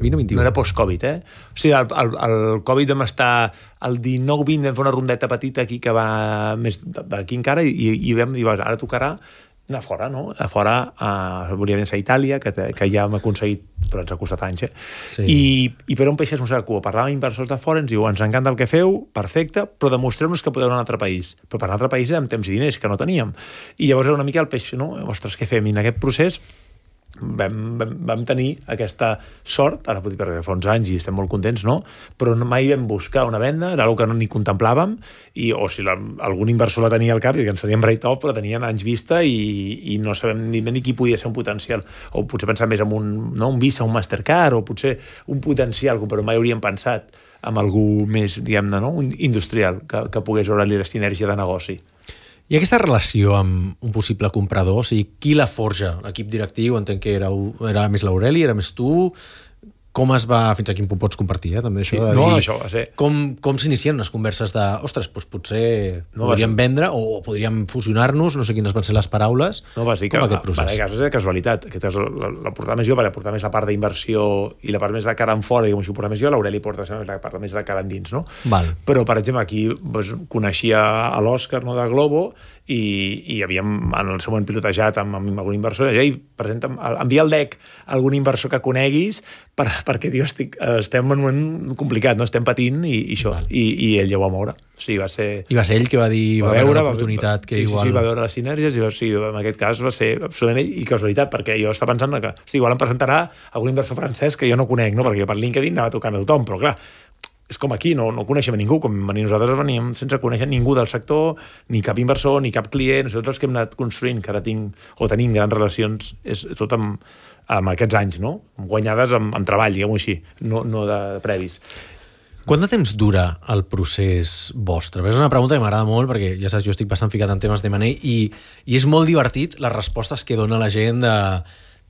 vint o vint i u? No era post-Covid, eh? O sigui, el, el, el Covid vam estar... El dinou vint vam fer una rondeta petita aquí que va més d'aquí encara i, i vam dir, ara tocarà anar fora, no? A fora, uh, volia vèncer a Itàlia, que, que ja hem aconseguit, però ens ha costat anys, eh? Sí. I, I per on peixes no sé cua. Parlàvem amb inversors de fora, ens diu, ens encanta el que feu, perfecte, però demostreu-nos que podeu anar a un altre país. Però per un altre país amb temps i diners, que no teníem. I llavors era una mica el peix, no? Ostres, què fem? I en aquest procés vam, vam, vam tenir aquesta sort, ara pot dir perquè fa uns anys i estem molt contents, no? Però mai vam buscar una venda, era una que no ni contemplàvem, i, o si la, algun inversor la tenia al cap i que ens teníem write-off, però tenien anys vista i, i no sabem ni, ni qui podia ser un potencial, o potser pensar més en un, no, un Visa, un Mastercard, o potser un potencial, però mai hauríem pensat en algú més, diguem-ne, no? Un industrial, que, que pogués veure-li la sinergia de negoci. I aquesta relació amb un possible comprador, o sigui, qui la forja? L'equip directiu, entenc que era, era més l'Aureli, era més tu... com es va, fins a quin punt pots compartir, eh, també això Sí, de no, dir, no, això va ser- com, com s'inicien unes converses de, ostres, doncs potser No, podríem va vendre o podríem fusionar-nos, no sé quines van ser les paraules, No, va ser que com aquest va, procés. va, cas, és de casualitat. Aquest cas la, la portava més jo, perquè portava més la part d'inversió i la part més de cara en fora, diguem, si ho portava més jo, l'Aureli porta la part més de cara endins, no? Val. Però, per exemple, aquí doncs, coneixia a l'Òscar, no, de Globo, i, i havíem en el seu moment pilotejat amb, amb algun inversor, i ei, presenta'm, envia el deck a algun inversor que coneguis per, perquè, tio, estic, estem en un moment complicat, no? Estem patint i, i això, i, i ell ja ho va moure. O sigui, va ser... I va ser ell que va dir, va, va veure l'oportunitat que sí, igual... Sí, sí, va veure les sinergies i va, sí, en aquest cas va ser absolutament ell i casualitat, perquè jo estava pensant que hosti, igual em presentarà algun inversor francès que jo no conec, no? Perquè per LinkedIn anava tocant a tothom, però clar, és com aquí, no, no coneixem a ningú, com venir nosaltres veníem sense conèixer ningú del sector, ni cap inversor, ni cap client, nosaltres els que hem anat construint, que ara tinc, o tenim grans relacions, és tot amb, amb aquests anys, no? Guanyades amb, amb treball, diguem-ho així, no, no de previs. Quant de temps dura el procés vostre? És una pregunta que m'agrada molt perquè, ja saps, jo estic bastant ficat en temes d'M and A i, i és molt divertit les respostes que dona la gent de...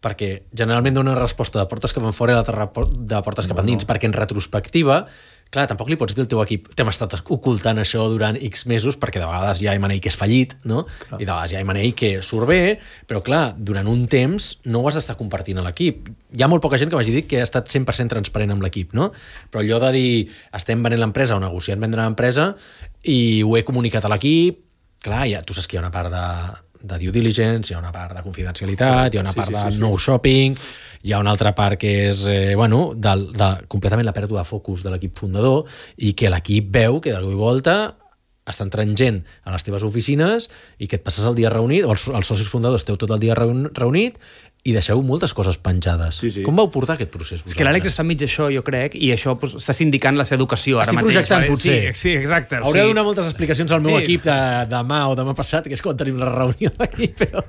perquè generalment dona una resposta de portes cap enfora i l'altra de portes cap endins, perquè en retrospectiva, clar, tampoc li pots dir al teu equip t'hem estat ocultant això durant X mesos, perquè de vegades hi ha M and A que és fallit, no? Clar. I de vegades hi ha M and A que surt bé, però clar, durant un temps no ho has d'estar compartint a l'equip. Hi ha molt poca gent que m'hagi dit que ha estat cent per cent transparent amb l'equip, no? Però allò de dir estem venent l'empresa o negociant vendre l'empresa i ho he comunicat a l'equip, clar, ja, tu saps que hi ha una part de de due diligence, hi ha una part de confidencialitat, hi ha una sí, part sí, de sí, sí. no shopping, hi ha una altra part que és eh, bueno, de, de, completament la pèrdua de focus de l'equip fundador i que l'equip veu que de cop i volta està entrant gent a les teves oficines i que et passes el dia reunit, o els, els socis fundadors esteu tot el dia reunit i deixeu moltes coses penjades. Sí, sí. Com vau portar aquest procés vosaltres? És que l'Àlex està enmig d'això, jo crec, i això pues, està sindicant la seva educació ara Estic mateix. projectant, potser. Sí, sí, exacte. Hauré sí. de donar moltes explicacions al meu Sí. equip de, demà o demà passat, que és quan tenim la reunió d'aquí, però...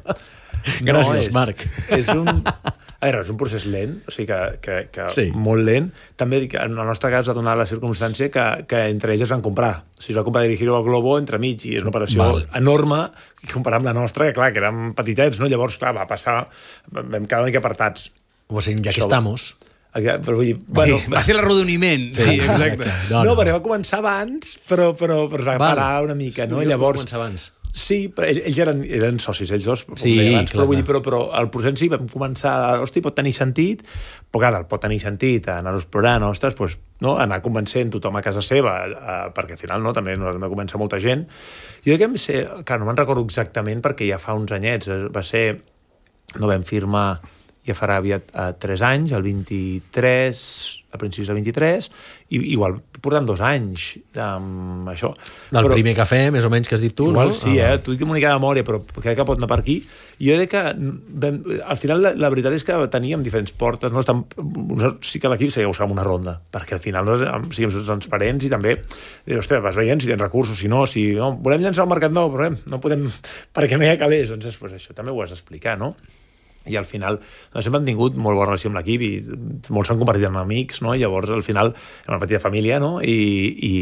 No, Gràcies, és, Marc. És un, a veure, és un procés lent, o sigui que, que, que Sí. molt lent. També dic que en el nostre cas va donar la circumstància que, que entre ells es van comprar. O sigui, es va comprar Dirigiro al Globo entre mig i és una operació Val. enorme comparat amb la nostra, que clar, que érem petitets, no? Llavors, clar, va passar, vam quedar una mica apartats. O sigui, ja que Això- estamos... Però vull dir, bueno, Sí, va ser l'arrodoniment. Sí, sí, exacte. No, no, no. perquè va començar abans, però, però, però es va Val. parar una mica, no? Curiós, Llavors, va començar abans. Sí, però ells, ells eren, eren socis, ells dos, com Sí, deia abans, clar, però, vull dir, clar. però, però el procés sí, vam començar, hosti, pot tenir sentit, però clar, pot tenir sentit anar-ho explorant, ostres, doncs, no, anar convencent tothom a casa seva, eh, perquè al final no, també no va començar molta gent. Jo crec que vam ser, clar, no me'n recordo exactament perquè ja fa uns anyets, eh, va ser, no vam firmar, ja farà aviat eh, tres anys, el vint-i-tres, a principis del vint-i-tres, i igual portant dos anys amb això. Del Però- primer cafè, més o menys, que has dit tu, Igual no? sí, eh? T'ho dic amb una mica de memòria, però crec que pot anar per aquí. I jo crec que vam, al final la, la veritat és que teníem diferents portes, no? Estan, sí que l'equip seguia buscant una ronda, perquè al final no, siguem transparents i també, eh, ostres, vas veient si tens recursos, si no, si no, volem llançar un mercat nou, però eh, no podem, perquè no hi ha calés, doncs pues, això també ho has d'explicar, no? I al final doncs, sempre hem tingut molt bona relació amb l'equip i molts s'han convertit en amics, no? I llavors al final era una petita família, no? I, i,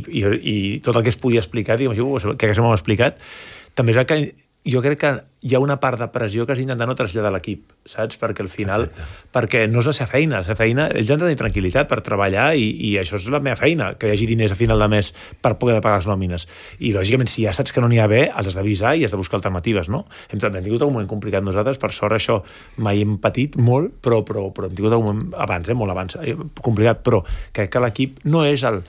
i, i, i tot el que es podia explicar, diguem així, que s'ho hem explicat, també és que jo crec que hi ha una part de pressió que has d'intentar no traslladar a l'equip, saps? Perquè al final, Exacte. perquè no és la seva feina, la seva feina, ells han de tenir tranquil·litat per treballar i, i això és la meva feina, que hi hagi diners a final de mes per poder pagar les nòmines. I lògicament, si ja saps que no n'hi ha bé, els has d'avisar i has de buscar alternatives, no? Hem, hem tingut un moment complicat nosaltres, per sort això mai hem patit molt, però, però, però hem tingut un moment abans, eh, molt abans, eh, complicat, però crec que l'equip no és el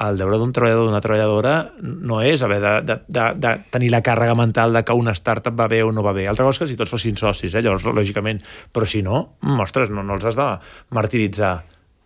el deure d'un treballador o d'una treballadora no és haver de, de, de, de tenir la càrrega mental de que una startup va bé o no va bé. Altra cosa és que si tots fossin socis, eh? Llavors, lògicament, però si no, ostres, no, no els has de martiritzar.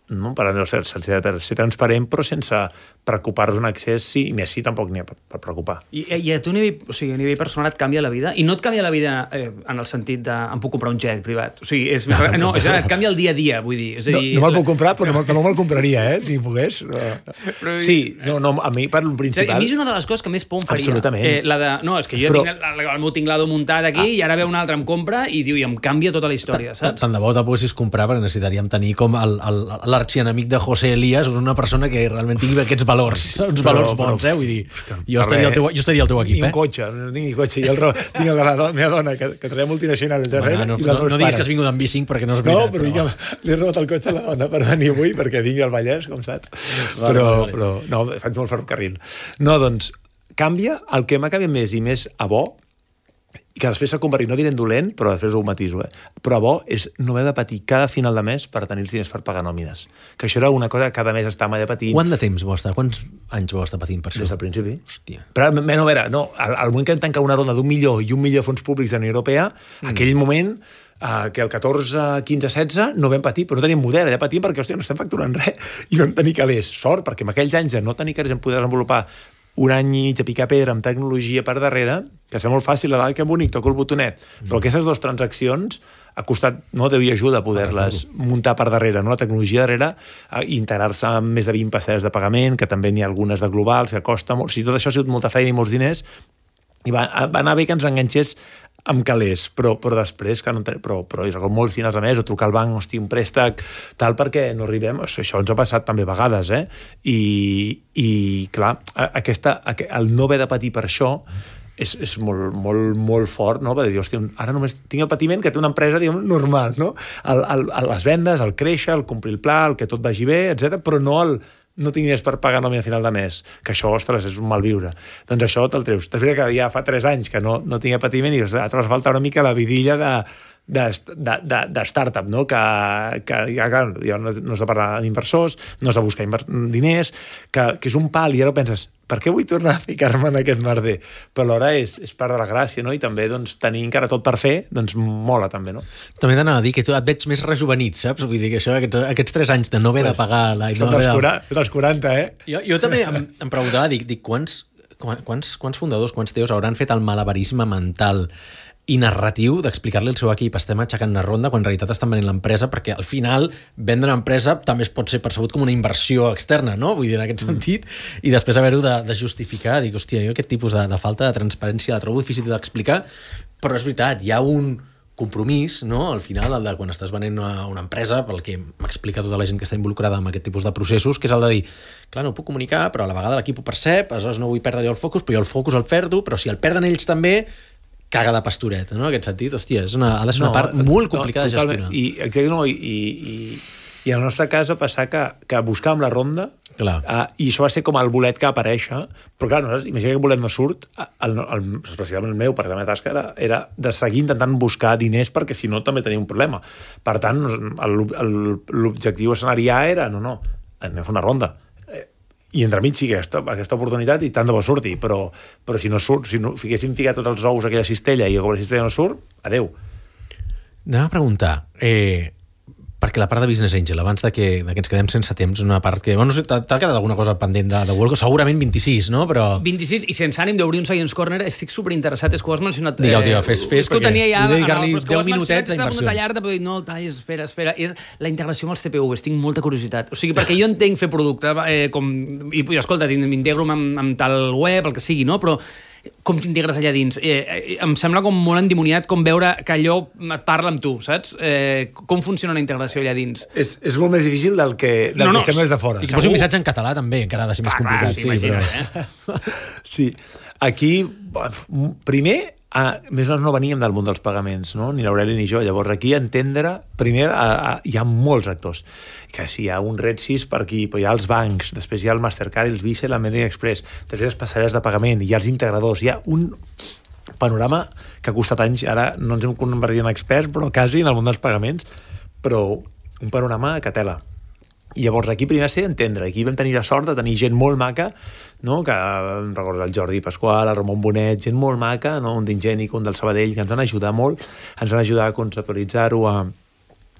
No? Per no ser, ser, ser transparent, però sense preocupar-nos en excés, sí, i més sí, tampoc n'hi ha per, per preocupar. I, I a tu a nivell, o sigui, a nivell personal et canvia la vida? I no et canvia la vida eh, en el sentit de em puc comprar un jet privat. O sigui, és, no, és, et canvia el dia a dia, vull dir. És a dir No, no me'l puc comprar, però no, no me'l compraria, eh? Si pogués. Però- Sí, no, no, a mi per lo És a dir, principal... a mi és una de les coses que més por em faria. Absolutament. Eh, la de, no, és que jo Però- tinc el, el meu tinglado muntat aquí ah. i ara ve un altre, em compra i diu, i em canvia tota la història, saps? Tant de bo te poguessis comprar perquè necessitaríem tenir com el, el, la l'arxienemic de José Elías, una persona que realment tingui aquests valors, uns però, valors bons, però, eh? Vull dir, jo estaria, al teu, jo estaria al teu equip, ni eh? un cotxe, no tinc ni cotxe. Jo el, tinc el de la do, meva dona, que, que treia multinacional al darrere, bueno, no, i la no, no diguis que has vingut amb B cinc perquè no és veritat. No, però, però... Vinc, li he robat el cotxe a la dona per venir avui, perquè vingui al Vallès, com saps? Vale, però, vale, vale. però, no, faig molt ferrocarril. No, doncs, canvia, el que m'ha canviat més i més a bo, i que després s'ha convertit, no diré en dolent, però després ho matiso, eh? Però bo és no haver de patir cada final de mes per tenir els diners per pagar nòmines. Que això era una cosa que cada mes estàvem allà patint. Quant de temps vau estar? Quants anys vau estar patint per això? Des del principi. Hòstia. Però, no, a veure, no, al, al moment que vam tancar una ronda d'un milió i un milió de fons públics de la Unió Europea, mm. aquell moment, eh, que el catorze, quinze, setze, no vam patir, però no teníem model, allà patim perquè, hòstia, no estem facturant res. I vam tenir calés. Sort, perquè en aquells anys de no tenir calés vam poder desenvolupar un any i mig a picar pedra amb tecnologia per darrere, que sembla molt fàcil, a l'alt que bonic, toco el botonet, mm. però aquestes dues transaccions ha costat, no, Déu i ajuda a poder-les ah, muntar per darrere, no? La tecnologia darrere, integrar-se amb més de vint passerelles de pagament, que també n'hi ha algunes de globals, que costa molt, o sigui, tot això ha sigut molta feina i molts diners, i va, va anar bé que ens enganxés amb calés, però, però després, que no ten... però, però és molts finals a més, o trucar al banc, hosti, un préstec, tal, perquè no arribem, això ens ha passat també a vegades, eh? I, i clar, aquesta, el no haver de patir per això és, és molt, molt, molt fort, no? Perquè dir, hòstia, ara només tinc el patiment que té una empresa, diguem, normal, no? El, el, les vendes, el créixer, el complir el pla, el que tot vagi bé, etcètera, però no el no tinc diners per pagar nòmina a final de mes, que això, ostres, és un malviure. Doncs això te'l treus. Després que ja fa tres anys que no, no tinc patiment i et falta una mica la vidilla de, de, de, de, de startup, no? Que, que ja, clar, ja no, no has de parlar amb inversors, no has de buscar inver... diners, que, que és un pal, i ara penses, per què vull tornar a ficar-me en aquest merder? Però alhora és, és part de la gràcia, no? I també doncs, tenir encara tot per fer, doncs mola també, no? També t'anava a dir que tu et veig més rejuvenit, saps? Vull dir que això, aquests, aquests tres anys de no haver pues, de pagar... La, són no dels, de... dels quaranta, eh? Jo, jo també em, em preguntava, dic, dic quants, quants, quants fundadors, quants teus hauran fet el malabarisme mental i narratiu d'explicar-li al seu equip estem aixecant una ronda quan en realitat estan venent l'empresa, perquè al final vendre una empresa també es pot ser percebut com una inversió externa, no? Vull dir, en aquest sentit, mm. i després haver-ho de, de justificar, dic, hòstia, jo aquest tipus de, de falta de transparència la trobo difícil d'explicar, però és veritat, hi ha un compromís, no? Al final, el de quan estàs venent una, una empresa, pel que m'explica tota la gent que està involucrada en aquest tipus de processos, que és el de dir, clar, no ho puc comunicar, però a la vegada l'equip ho percep, aleshores no vull perdre jo el focus, però jo el focus el perdo, però si el perden ells també, caga de pastoreta, no? En aquest sentit, hòstia, és una, ha de ser una no, part molt complicada no, de gestionar. I, exacte, no, i, i, i a la nostra casa passar que, que buscàvem la ronda, uh, i això va ser com el bolet que va aparèixer, però clar, no, imagina que el bolet no surt, el, el, especialment el meu, perquè la meva tasca era, era de seguir intentant buscar diners, perquè si no també tenia un problema. Per tant, l'objectiu escenari A era, no, no, anem a fer una ronda. I entremig sí aquesta, aquesta oportunitat i tant de bo surti, però, però si no surt, si no fiquéssim ficat tots els ous a aquella cistella i com la cistella no surt, adeu. Anem a preguntar, eh, perquè la part de Business Angel, abans de que, de que ens quedem sense temps, una part que... Bueno, no sé, t'ha quedat alguna cosa pendent de, de Worldco? Segurament vint-i-sis, no? Però... vint-i-sis, i sense ànim d'obrir un Science Corner, estic superinteressat, és que ho has mencionat... Digueu, digueu, fes, fes, perquè... Tenia ja, vull dedicar-li no, deu minutets a inversions. Una tallarda, però dic, no, talles, espera, espera. És la integració amb els T P Vs, tinc molta curiositat. O sigui, perquè jo entenc fer producte, eh, com... I, escolta, m'integro amb, amb tal web, el que sigui, no? Però com t'integres allà dins? Eh, em sembla com molt endimoniat com veure que allò et parla amb tu, saps? Eh, com funciona la integració allà dins? És, és molt més difícil del que, del no, no, que estem des de fora. I que posi un missatge en català també, encara ha de ser més ah, complicat. Sí, sí, però... eh? Sí, aquí, primer, a, més o menys no veníem del món dels pagaments, no? Ni l'Aureli ni jo. Llavors aquí entendre, primer a, a, hi ha molts actors, que si hi ha un Red sis per aquí, però hi ha els bancs, després hi ha el Mastercard, els Visa, l'American Express, després les passarel·les de pagament, hi ha els integradors, hi ha un panorama que ha costat anys, ara no ens hem convertit en experts, però quasi en el món dels pagaments, però un panorama que tela. I llavors aquí primer ser entendre, aquí vam tenir la sort de tenir gent molt maca, no? Que em recordo el Jordi Pasqual, el Ramon Bonet, gent molt maca, no? Un d'Ingènic, un del Sabadell, que ens van ajudar molt, ens van ajudar a conceptualitzar-ho, a,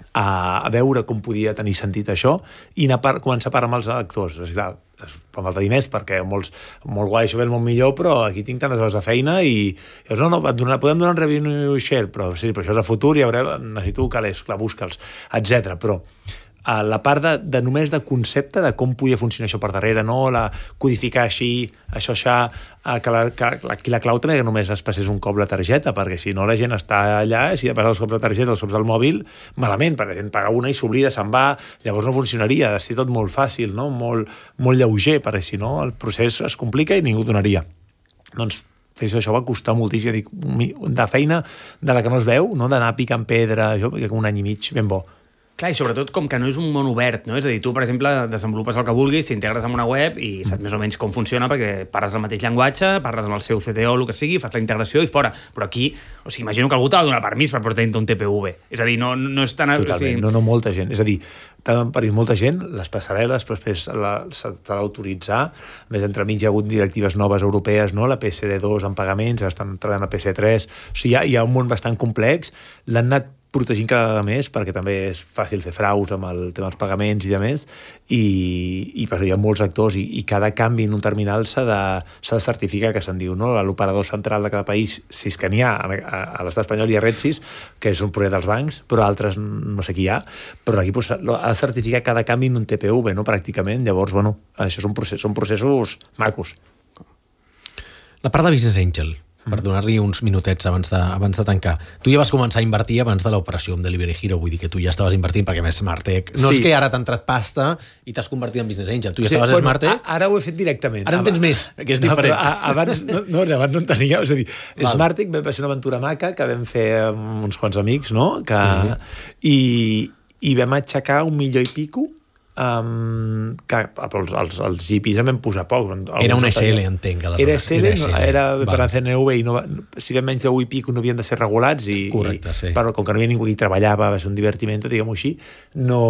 a, a veure com podia tenir sentit això, i anar per, començar a parlar amb els actors. És clar, fa falta diners, perquè molts, molt guai, això ve el món millor, però aquí tinc tantes hores de feina i llavors, no, no, donar, podem donar un revenue share, però sí, però això és a futur, i a veure, necessito calés, clar, busca'ls, etcètera. Però a la part de, de només de concepte de com podia funcionar això per darrere, no? La codificar així, això, això, que la, que la, aquí la clau també que només es passés un cop la targeta, perquè si no la gent està allà, si ha passat els cops la targeta, els cops del mòbil, malament, perquè la gent paga una i s'oblida, se'n va, llavors no funcionaria, ha de ser tot molt fàcil, no? molt, molt lleuger, perquè si no el procés es complica i ningú donaria. Doncs fer això, això va costar moltíssim, dic, de feina de la que no es veu, no? D'anar picant pedra, això, perquè un any i mig ben bo. Clar, i sobretot com que no és un món obert, no? És a dir, tu, per exemple, desenvolupes el que vulguis, t'integres en una web i saps més o menys com funciona perquè parles el mateix llenguatge, parles amb el seu C T O, el que sigui, fas la integració i fora. Però aquí, o sigui, imagino que algú t'ha de donar permís per portar un T P V. És a dir, no, no és tan... Totalment, o sigui... no, no, molta gent. És a dir, t'ha de parir molta gent, les passarel·les, però després s'ha d'autoritzar. A més, entremig hi ha hagut directives noves europees, no? La P C D dos en pagaments, estan treballant a P C tres. O sigui, hi ha, hi ha un món bastant complex. L'han anat protegint cada vegada més, perquè també és fàcil fer fraus amb el tema dels pagaments i de més, i, i per hi ha molts actors, i, i cada canvi en un terminal s'ha de, s'ha de certificar, que se'n diu, no? L'operador central de cada país, si és que n'hi ha, a, a l'estat espanyol hi ha Redsis, que és un projecte dels bancs, però altres no sé qui hi ha, però aquí pues, ha de certificar cada canvi en un T P V, no? Pràcticament, llavors, bueno, això són processos, són processos macos. La part de Business Angel, per donar-li uns minutets abans de, abans de tancar. Tu ja vas començar a invertir abans de l'operació amb Delivery Hero, vull dir que tu ja estaves invertint, perquè més Smartec... No sí. És que ara t'ha entrat pasta i t'has convertit en Business Angel. Tu ja sí, estaves bueno, a Smartec... Ara ho he fet directament. Ara en tens més, que és diferent. No, abans, no, no, abans no en tenia... És a dir, Val. Smartec va ser una aventura maca que vam fer amb uns quants amics, no? Que, sí. I, I vam aixecar un milió i pico. Um, que els, els, els G Ps en vam posar poc. Era un S L, entenc. Era S L, era, no, era per a C N V i no va, si eren menys de u i pico no havien de ser regulats i, Correcte, sí. i però com que no hi havia ningú que hi treballava, va ser un divertiment, diguem-ho així, no,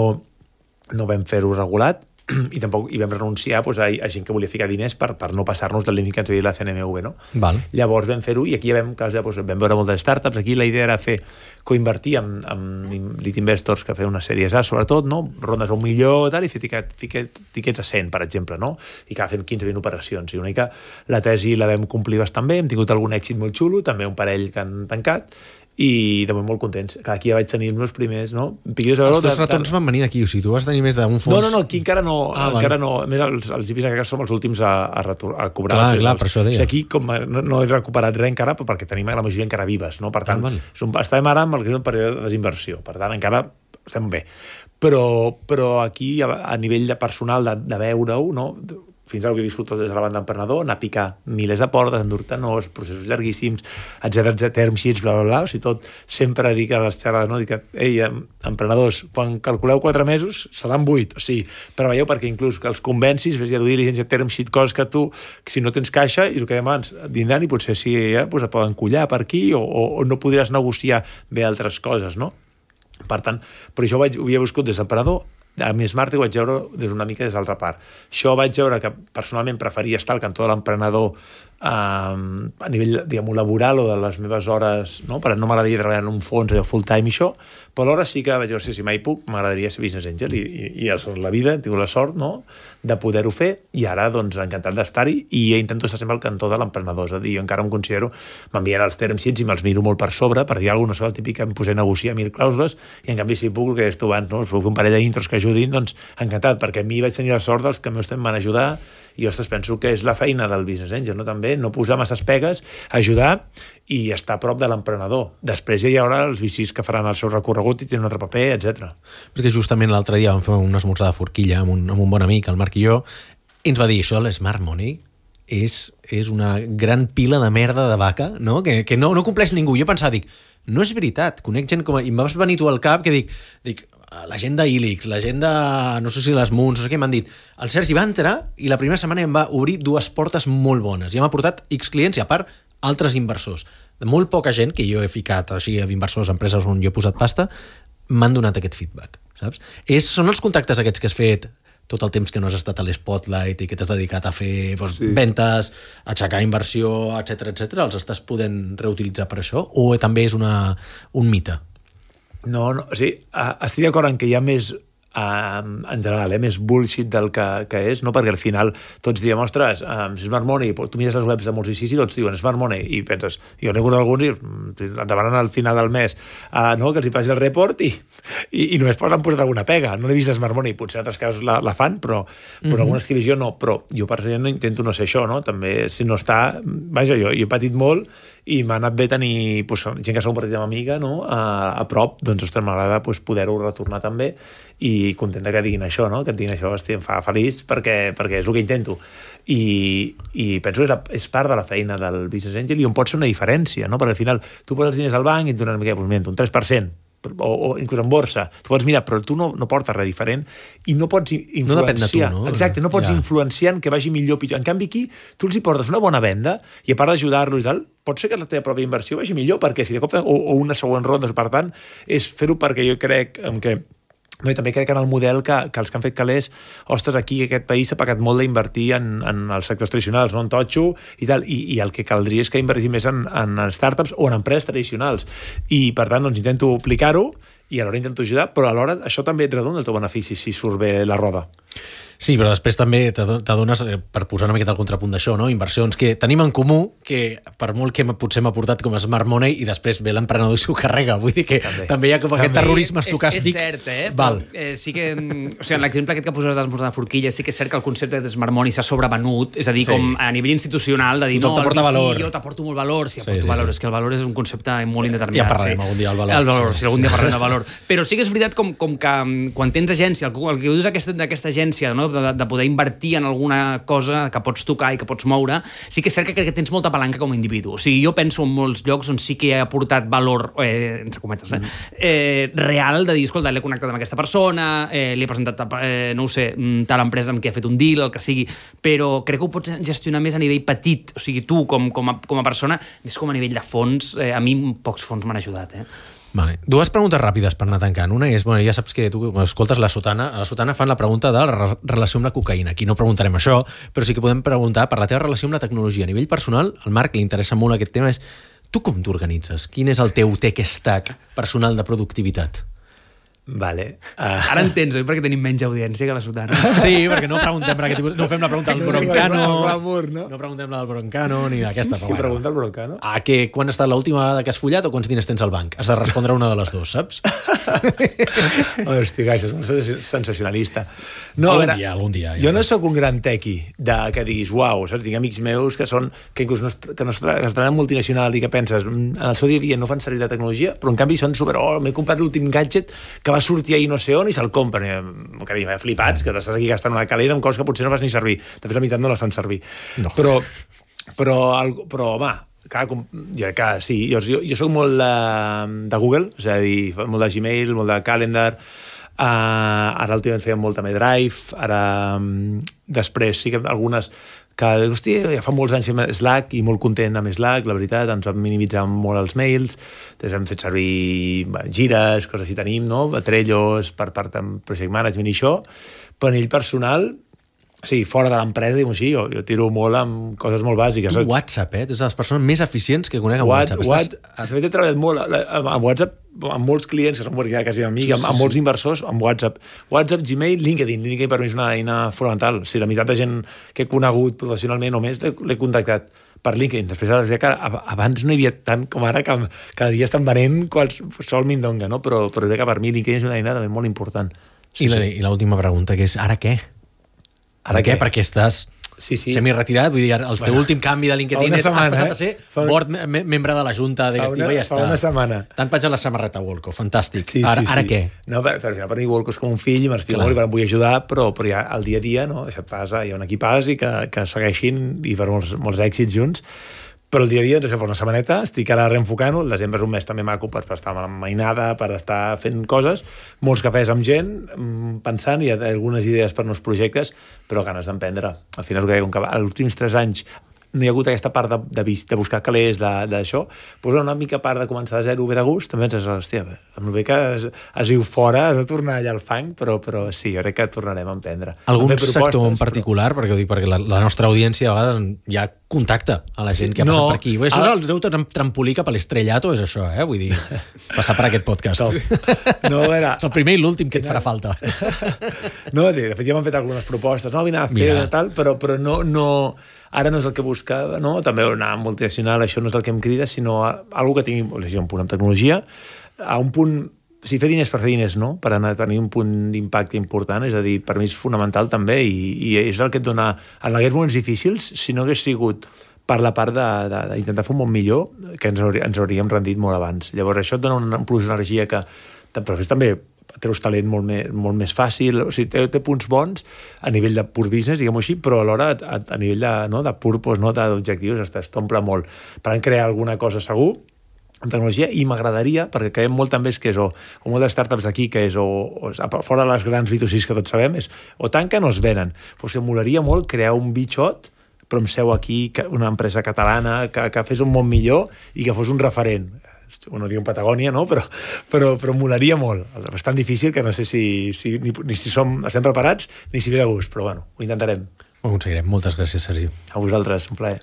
no vam fer-ho regulat i tampoc hi vam renunciar doncs, a, a gent que volia ficar diners per, per no passar-nos del límit que ens havia dit la C N M V, no? Val. Llavors vam fer-ho i aquí ja vam, doncs, vam veure moltes startups. Aquí la idea era fer coinvertir amb, amb lead investors que feien unes sèries A, sobretot, no? Rondes a un milió tal, i fer tiquet, tiquet, tiquets a cent, per exemple, no? I que fent quinze vint operacions. I una mica la tesi la vam complir bastant bé, hem tingut algun èxit molt xulo, també un parell que han tancat, i de molt contents. Aquí ja vaig tenir els meus primers, no? Els teus retorns van venir d'aquí, o sigui, tu vas tenir més d'un fons... No, no, no, aquí encara no, ah, encara no. A més, els, els I P s som els últims a, a, retor, a cobrar. Clar, clar, per això deia. O sigui, aquí com no, no he recuperat res encara, perquè tenim la majoria encara vives, no? Per tant, ah, som, estem ara amb el que és un període de desinversió, per tant, encara estem bé. Però, però aquí, a, a nivell de personal, de, de veure-ho, no? Fins ara ho he viscut tot des de la banda emprenedor, anar a picar milers de portes, endur-te nos, processos llarguíssims, etcètera, etcètera, term sheets, bla, bla, bla, o sigui, tot, sempre dic a les xerrades, no? Dic, ei, emprenedors, quan calculeu quatre mesos, seran vuit, o sigui, però veieu, perquè inclús que els convencis, ves a dur diligència, term sheet, coses que tu, que si no tens caixa, i el que dèiem abans, vindran i potser sí, ja, doncs et poden collar per aquí, o, o, o no podràs negociar bé altres coses, no? Per tant, però això ho, vaig, ho havia viscut des d'emprenedor. A mi Smart ho vaig veure des una mica des d'altra part. Això vaig veure que personalment preferia estar al cantó de l'emprenedor eh, a nivell, diguem-ho, laboral o de les meves hores, no? Per no m'agradaria treballar en un fons allò full time i això, però alhora sí que vaig veure si mai puc, m'agradaria ser business angel i, i, i la vida, he tingut la sort, no?, de poder-ho fer, i ara, doncs, encantat d'estar-hi, i intento estar sempre al cantó de l'emprenedor, és a dir, jo encara em considero, m'envien els term sheets i me'ls miro molt per sobre, per dir alguna cosa, no sé, el típic que em posé a negociar mil clàusules, i en canvi si puc, que és tu abans, no?, us puc fer un parell d'intros que ajudin, doncs encantat, perquè a mi vaig tenir la sort dels que meus temps van ajudar, i ostres, penso que és la feina del business angel, no? També no posar masses pegues, ajudar i estar a prop de l'emprenedor. Després ja hi haurà els V Cs que faran el seu recorregut i tenen un altre paper, etcètera. Perquè justament l'altre dia vam fer un esmorzar de forquilla amb un, amb un bon amic, el Marc i jo, i ens va dir, això de l'Smart Money és, és una gran pila de merda de vaca, no? Que, que no, no compleix ningú. Jo pensava, dic, no és veritat, conec gent com... I em vas venir tu al cap que dic, dic la gent d'Ilix, la gent de, no sé si les Moons, no sé què, m'han dit, el Sergi va entrar i la primera setmana em va obrir dues portes molt bones. I m'ha portat X clients i, a part, altres inversors. De molt poca gent que jo he ficat així a inversors, empreses on jo he posat pasta, m'han donat aquest feedback, saps? És, són els contactes aquests que has fet tot el temps que no has estat a l'Spotlight i que t'has dedicat a fer doncs, sí. ventes, aixecar inversió, etcètera, etcètera, els estàs podent reutilitzar per això? O també és una, un mite? No, no, o sigui, estic d'acord en que hi ha més Um, en general, eh, més bullshit del que, que és, no? Perquè al final tots diem, ostres, um, Smart Money, tu mires les webs de molts I C I i tots diuen Smart Money, i penses, jo n'he conegut alguns i et demanen al final del mes uh, no? Que els hi passi el report i, i, i només poden posar alguna pega. No l'he vist Smart Money, potser en altres casos la, la fan, però, però mm-hmm. algunes que he vist jo no. Però jo personalment no intento no ser això, no? També, si no està... Vaja, jo, jo he patit molt i m'ha anat bé tenir pues, gent que s'ha compartit amb amiga, no? a, a prop, doncs, ostres, m'agrada pues, poder-ho retornar també i contenta que diguin això, no? Que et diguin això, hosti, em fa feliç perquè, perquè és el que intento. I, i penso que és, la, és part de la feina del Business Angel i on pot ser una diferència, no? Perquè al final tu poses els diners al banc i et donen una mica, pues, mira, un tres per cent, o, o inclús en borsa, tu pots mirar, però tu no, no portes res diferent i no pots influenciar. No depèn de tu, no? Exacte, no pots ja. influenciar en que vagi millor o pitjor. En canvi aquí, tu els hi portes una bona venda i a part d'ajudar-los i tal, pot ser que la teva pròpia inversió vagi millor perquè si de cop o, o una següent ronda, per tant, és fer-ho perquè jo crec que no, i també crec que en el model que, que els que han fet calés, ostres, aquí aquest país s'ha pagat molt d'invertir en, en els sectors tradicionals, no? En totxo i tal, i, i el que caldria és que invertir més en, en startups o en empreses tradicionals. I, per tant, doncs, intento aplicar-ho i alhora intento ajudar, però alhora això també et redona el teu benefici si surt bé la roda. Sí, però després també t'adones, per posar una miqueta al contrapunt d'això, no? Inversions que tenim en comú, que per molt que potser m'ha portat com a Smart Money i després ve l'emprenedor i s'ho carrega. Vull dir que també, també hi ha com aquest terrorisme estocàstic. És, és cert, eh? Val. Però, eh, sí que, o sigui, en l'exemple aquest que poses d'esmorzar de forquilla, sí que és cert que el concepte de Smart Money s'ha sobrevenut, és a dir, sí. com a nivell institucional, de dir, no, el V C, jo t'aporto molt valor, sí, aporto sí, sí, valor, sí. És que el valor és un concepte molt indeterminat. Ja parlarem sí. algun dia del valor. El valor, sí, si algun sí. dia parlarem del valor. Però sí que és veritat com, com que quan tens agència, el, el que dius d'aquesta agència, no? de, de poder invertir en alguna cosa que pots tocar i que pots moure, sí que és cert que crec que tens molta palanca com a individu. O sigui, jo penso en molts llocs on sí que he aportat valor, eh, entre cometes, eh, eh, real, de dir, escolta, l'he connectat amb aquesta persona, eh, li he presentat, eh, no ho sé, tal empresa amb qui ha fet un deal, el que sigui, però crec que ho pots gestionar més a nivell petit. O sigui, tu, com, com, a, com a persona, més com a nivell de fons, eh, a mi pocs fons m'han ajudat, eh? Vale. Dues preguntes ràpides per anar tancant. Una és, bueno, ja saps que tu, quan escoltes la Sotana, a la Sotana fan la pregunta de la re relació amb la cocaïna. Aquí no preguntarem això, però sí que podem preguntar per la teva relació amb la tecnologia. A nivell personal, al Marc li interessa molt aquest tema, és tu com t'organitzes? Quin és el teu tech stack personal de productivitat? Vale. Uh... Ara entens, oi? Perquè tenim menys audiència que la Sotana. Sí, perquè no preguntem per aquest tipus... No fem la pregunta del Broncano, no, no? no preguntem la del Broncano, ni aquesta. Qui bueno. pregunta el Broncano? Ah, que quan ha estat l'última vegada que has follat o quants diners tens al banc? Has de respondre una de les dues, saps? Hosti, això és molt sensacionalista. No, algun veure, dia, algun dia. Jo no sóc un gran tequi de que diguis, uau, saps? Tinc amics meus que són que inclús no, que no es treballen multinacional i que penses, en el seu dia a dia no fan servir la tecnologia, però en canvi són super, oh, m'he comprat l'últim gadget que va sortir ahir no sé on i se'l compren. Que m'he flipats, que estàs aquí gastant una calera amb coses que potser no fas ni servir. De fet, la meitat no les fan servir. No. Però, però, però, home, clar, com, jo, clar, sí, jo, jo, jo soc molt de, de Google, és a dir, molt de Gmail, molt de Calendar, uh, ara últimament feia molt també Drive, ara um, després sí que algunes que, hòstia, ja fa molts anys amb Slack i molt content amb Slack, la veritat, ens vam minimitzar molt els mails, després hem fet servir gires, coses així tenim, no? Trellos, per part de project management i això, però a nivell personal, sí, fora de l'empresa, diguem així, jo, jo tiro molt amb coses molt bàsiques. Tu WhatsApp, eh? Tu ets de les persones més eficients que conec amb What, WhatsApp. What, Estàs... He treballat molt amb WhatsApp, amb molts clients, que són ja quasi amics, sí, sí, amb, amb molts sí. inversors, amb WhatsApp. WhatsApp, Gmail, LinkedIn. LinkedIn per mi és una eina fonamental. O sigui, la meitat de gent que he conegut professionalment o més l'he contactat per LinkedIn. Després, ara, que abans no hi havia tant com ara, que cada dia estan venent qualsevol mindonga, no? Però, però crec que per mi LinkedIn és una eina també molt important. Sí, I l'última sí. pregunta, que és, ara què? Ara què? Perquè estàs sí, sí. semi-retirat, vull dir, el teu bueno, últim canvi de LinkedIn és, setmana, has passat eh? a ser fa board me membre de la Junta Directiva i ja està. Fa una setmana. T'han penjat la samarreta Wolco, fantàstic. Sí, ara, sí, ara sí. què? No, per, per, per mi Wolco és com un fill, m'estima molt i em vull ajudar, però, però ja al dia a dia, no? Això passa, hi ha un equipàs i que, que segueixin i per molts, molts èxits junts. Però el dia a dia, doncs, això fa una setmaneta, estic ara reenfocant-ho, el desembre és un mes també maco per, per estar amb mainada, per estar fent coses, molts cafès amb gent, pensant, i algunes idees per nous projectes, però ganes d'emprendre. Al final, com que els últims tres anys no hi ha hagut aquesta part de, de, de buscar calés, d'això, doncs una mica part de començar de zero ve de gust, també penses, hòstia, amb el bé que es, es viu fora, has de tornar allà al fang, però, però sí, jo crec que tornarem a emprendre. Algun sector en particular, però... perquè ho dic, perquè la, la nostra audiència a vegades hi ha contacte a la gent que ha No. passat per aquí. Això és Ah. el teu tram- trampolí cap a l'estrellato, és això, eh? Vull dir, passar per aquest podcast. Top. No, era... És el primer i l'últim que et farà falta. No, de fet ja m'han fet algunes propostes, no, vine a fer Mira. tal, però, però no, no, ara no és el que buscava, no? També anar multinacional, això no és el que em crida, sinó a, algo que tingui un punt amb tecnologia, a un punt, o sigui, fer diners per fer diners, no? Per anar a tenir un punt d'impacte important, és a dir, per mi és fonamental també, i, i és el que et dona, en aquells moments difícils, si no hagués sigut per la part d'intentar fer un món millor, que ens, haurí, ens hauríem rendit molt abans. Llavors això et dona un, un plus d'energia que, però després també treus talent molt més, molt més fàcil, o sigui, té, té punts bons a nivell de pur business, diguem-ho així, però alhora a, a nivell de, no, de purpose, no, d'objectius, t'omple molt. Per tant, crear alguna cosa segur, en tecnologia, i m'agradaria, perquè caiem molt també és que és o, o moltes startups d'aquí, que és o, o fora de les grans B dos C que tots sabem, és o tanquen o es venen. Però o sigui, molaria molt crear un bitxot, però amb seu aquí, una empresa catalana, que, que fes un món millor i que fos un referent. No dic Patagònia, no? Però, però, però molaria molt. És bastant difícil, que no sé si, si, ni, ni si som, estem preparats ni si ve de gust, però bueno, ho intentarem. Ho aconseguirem. Moltes gràcies, Sergi. A vosaltres, un plaer.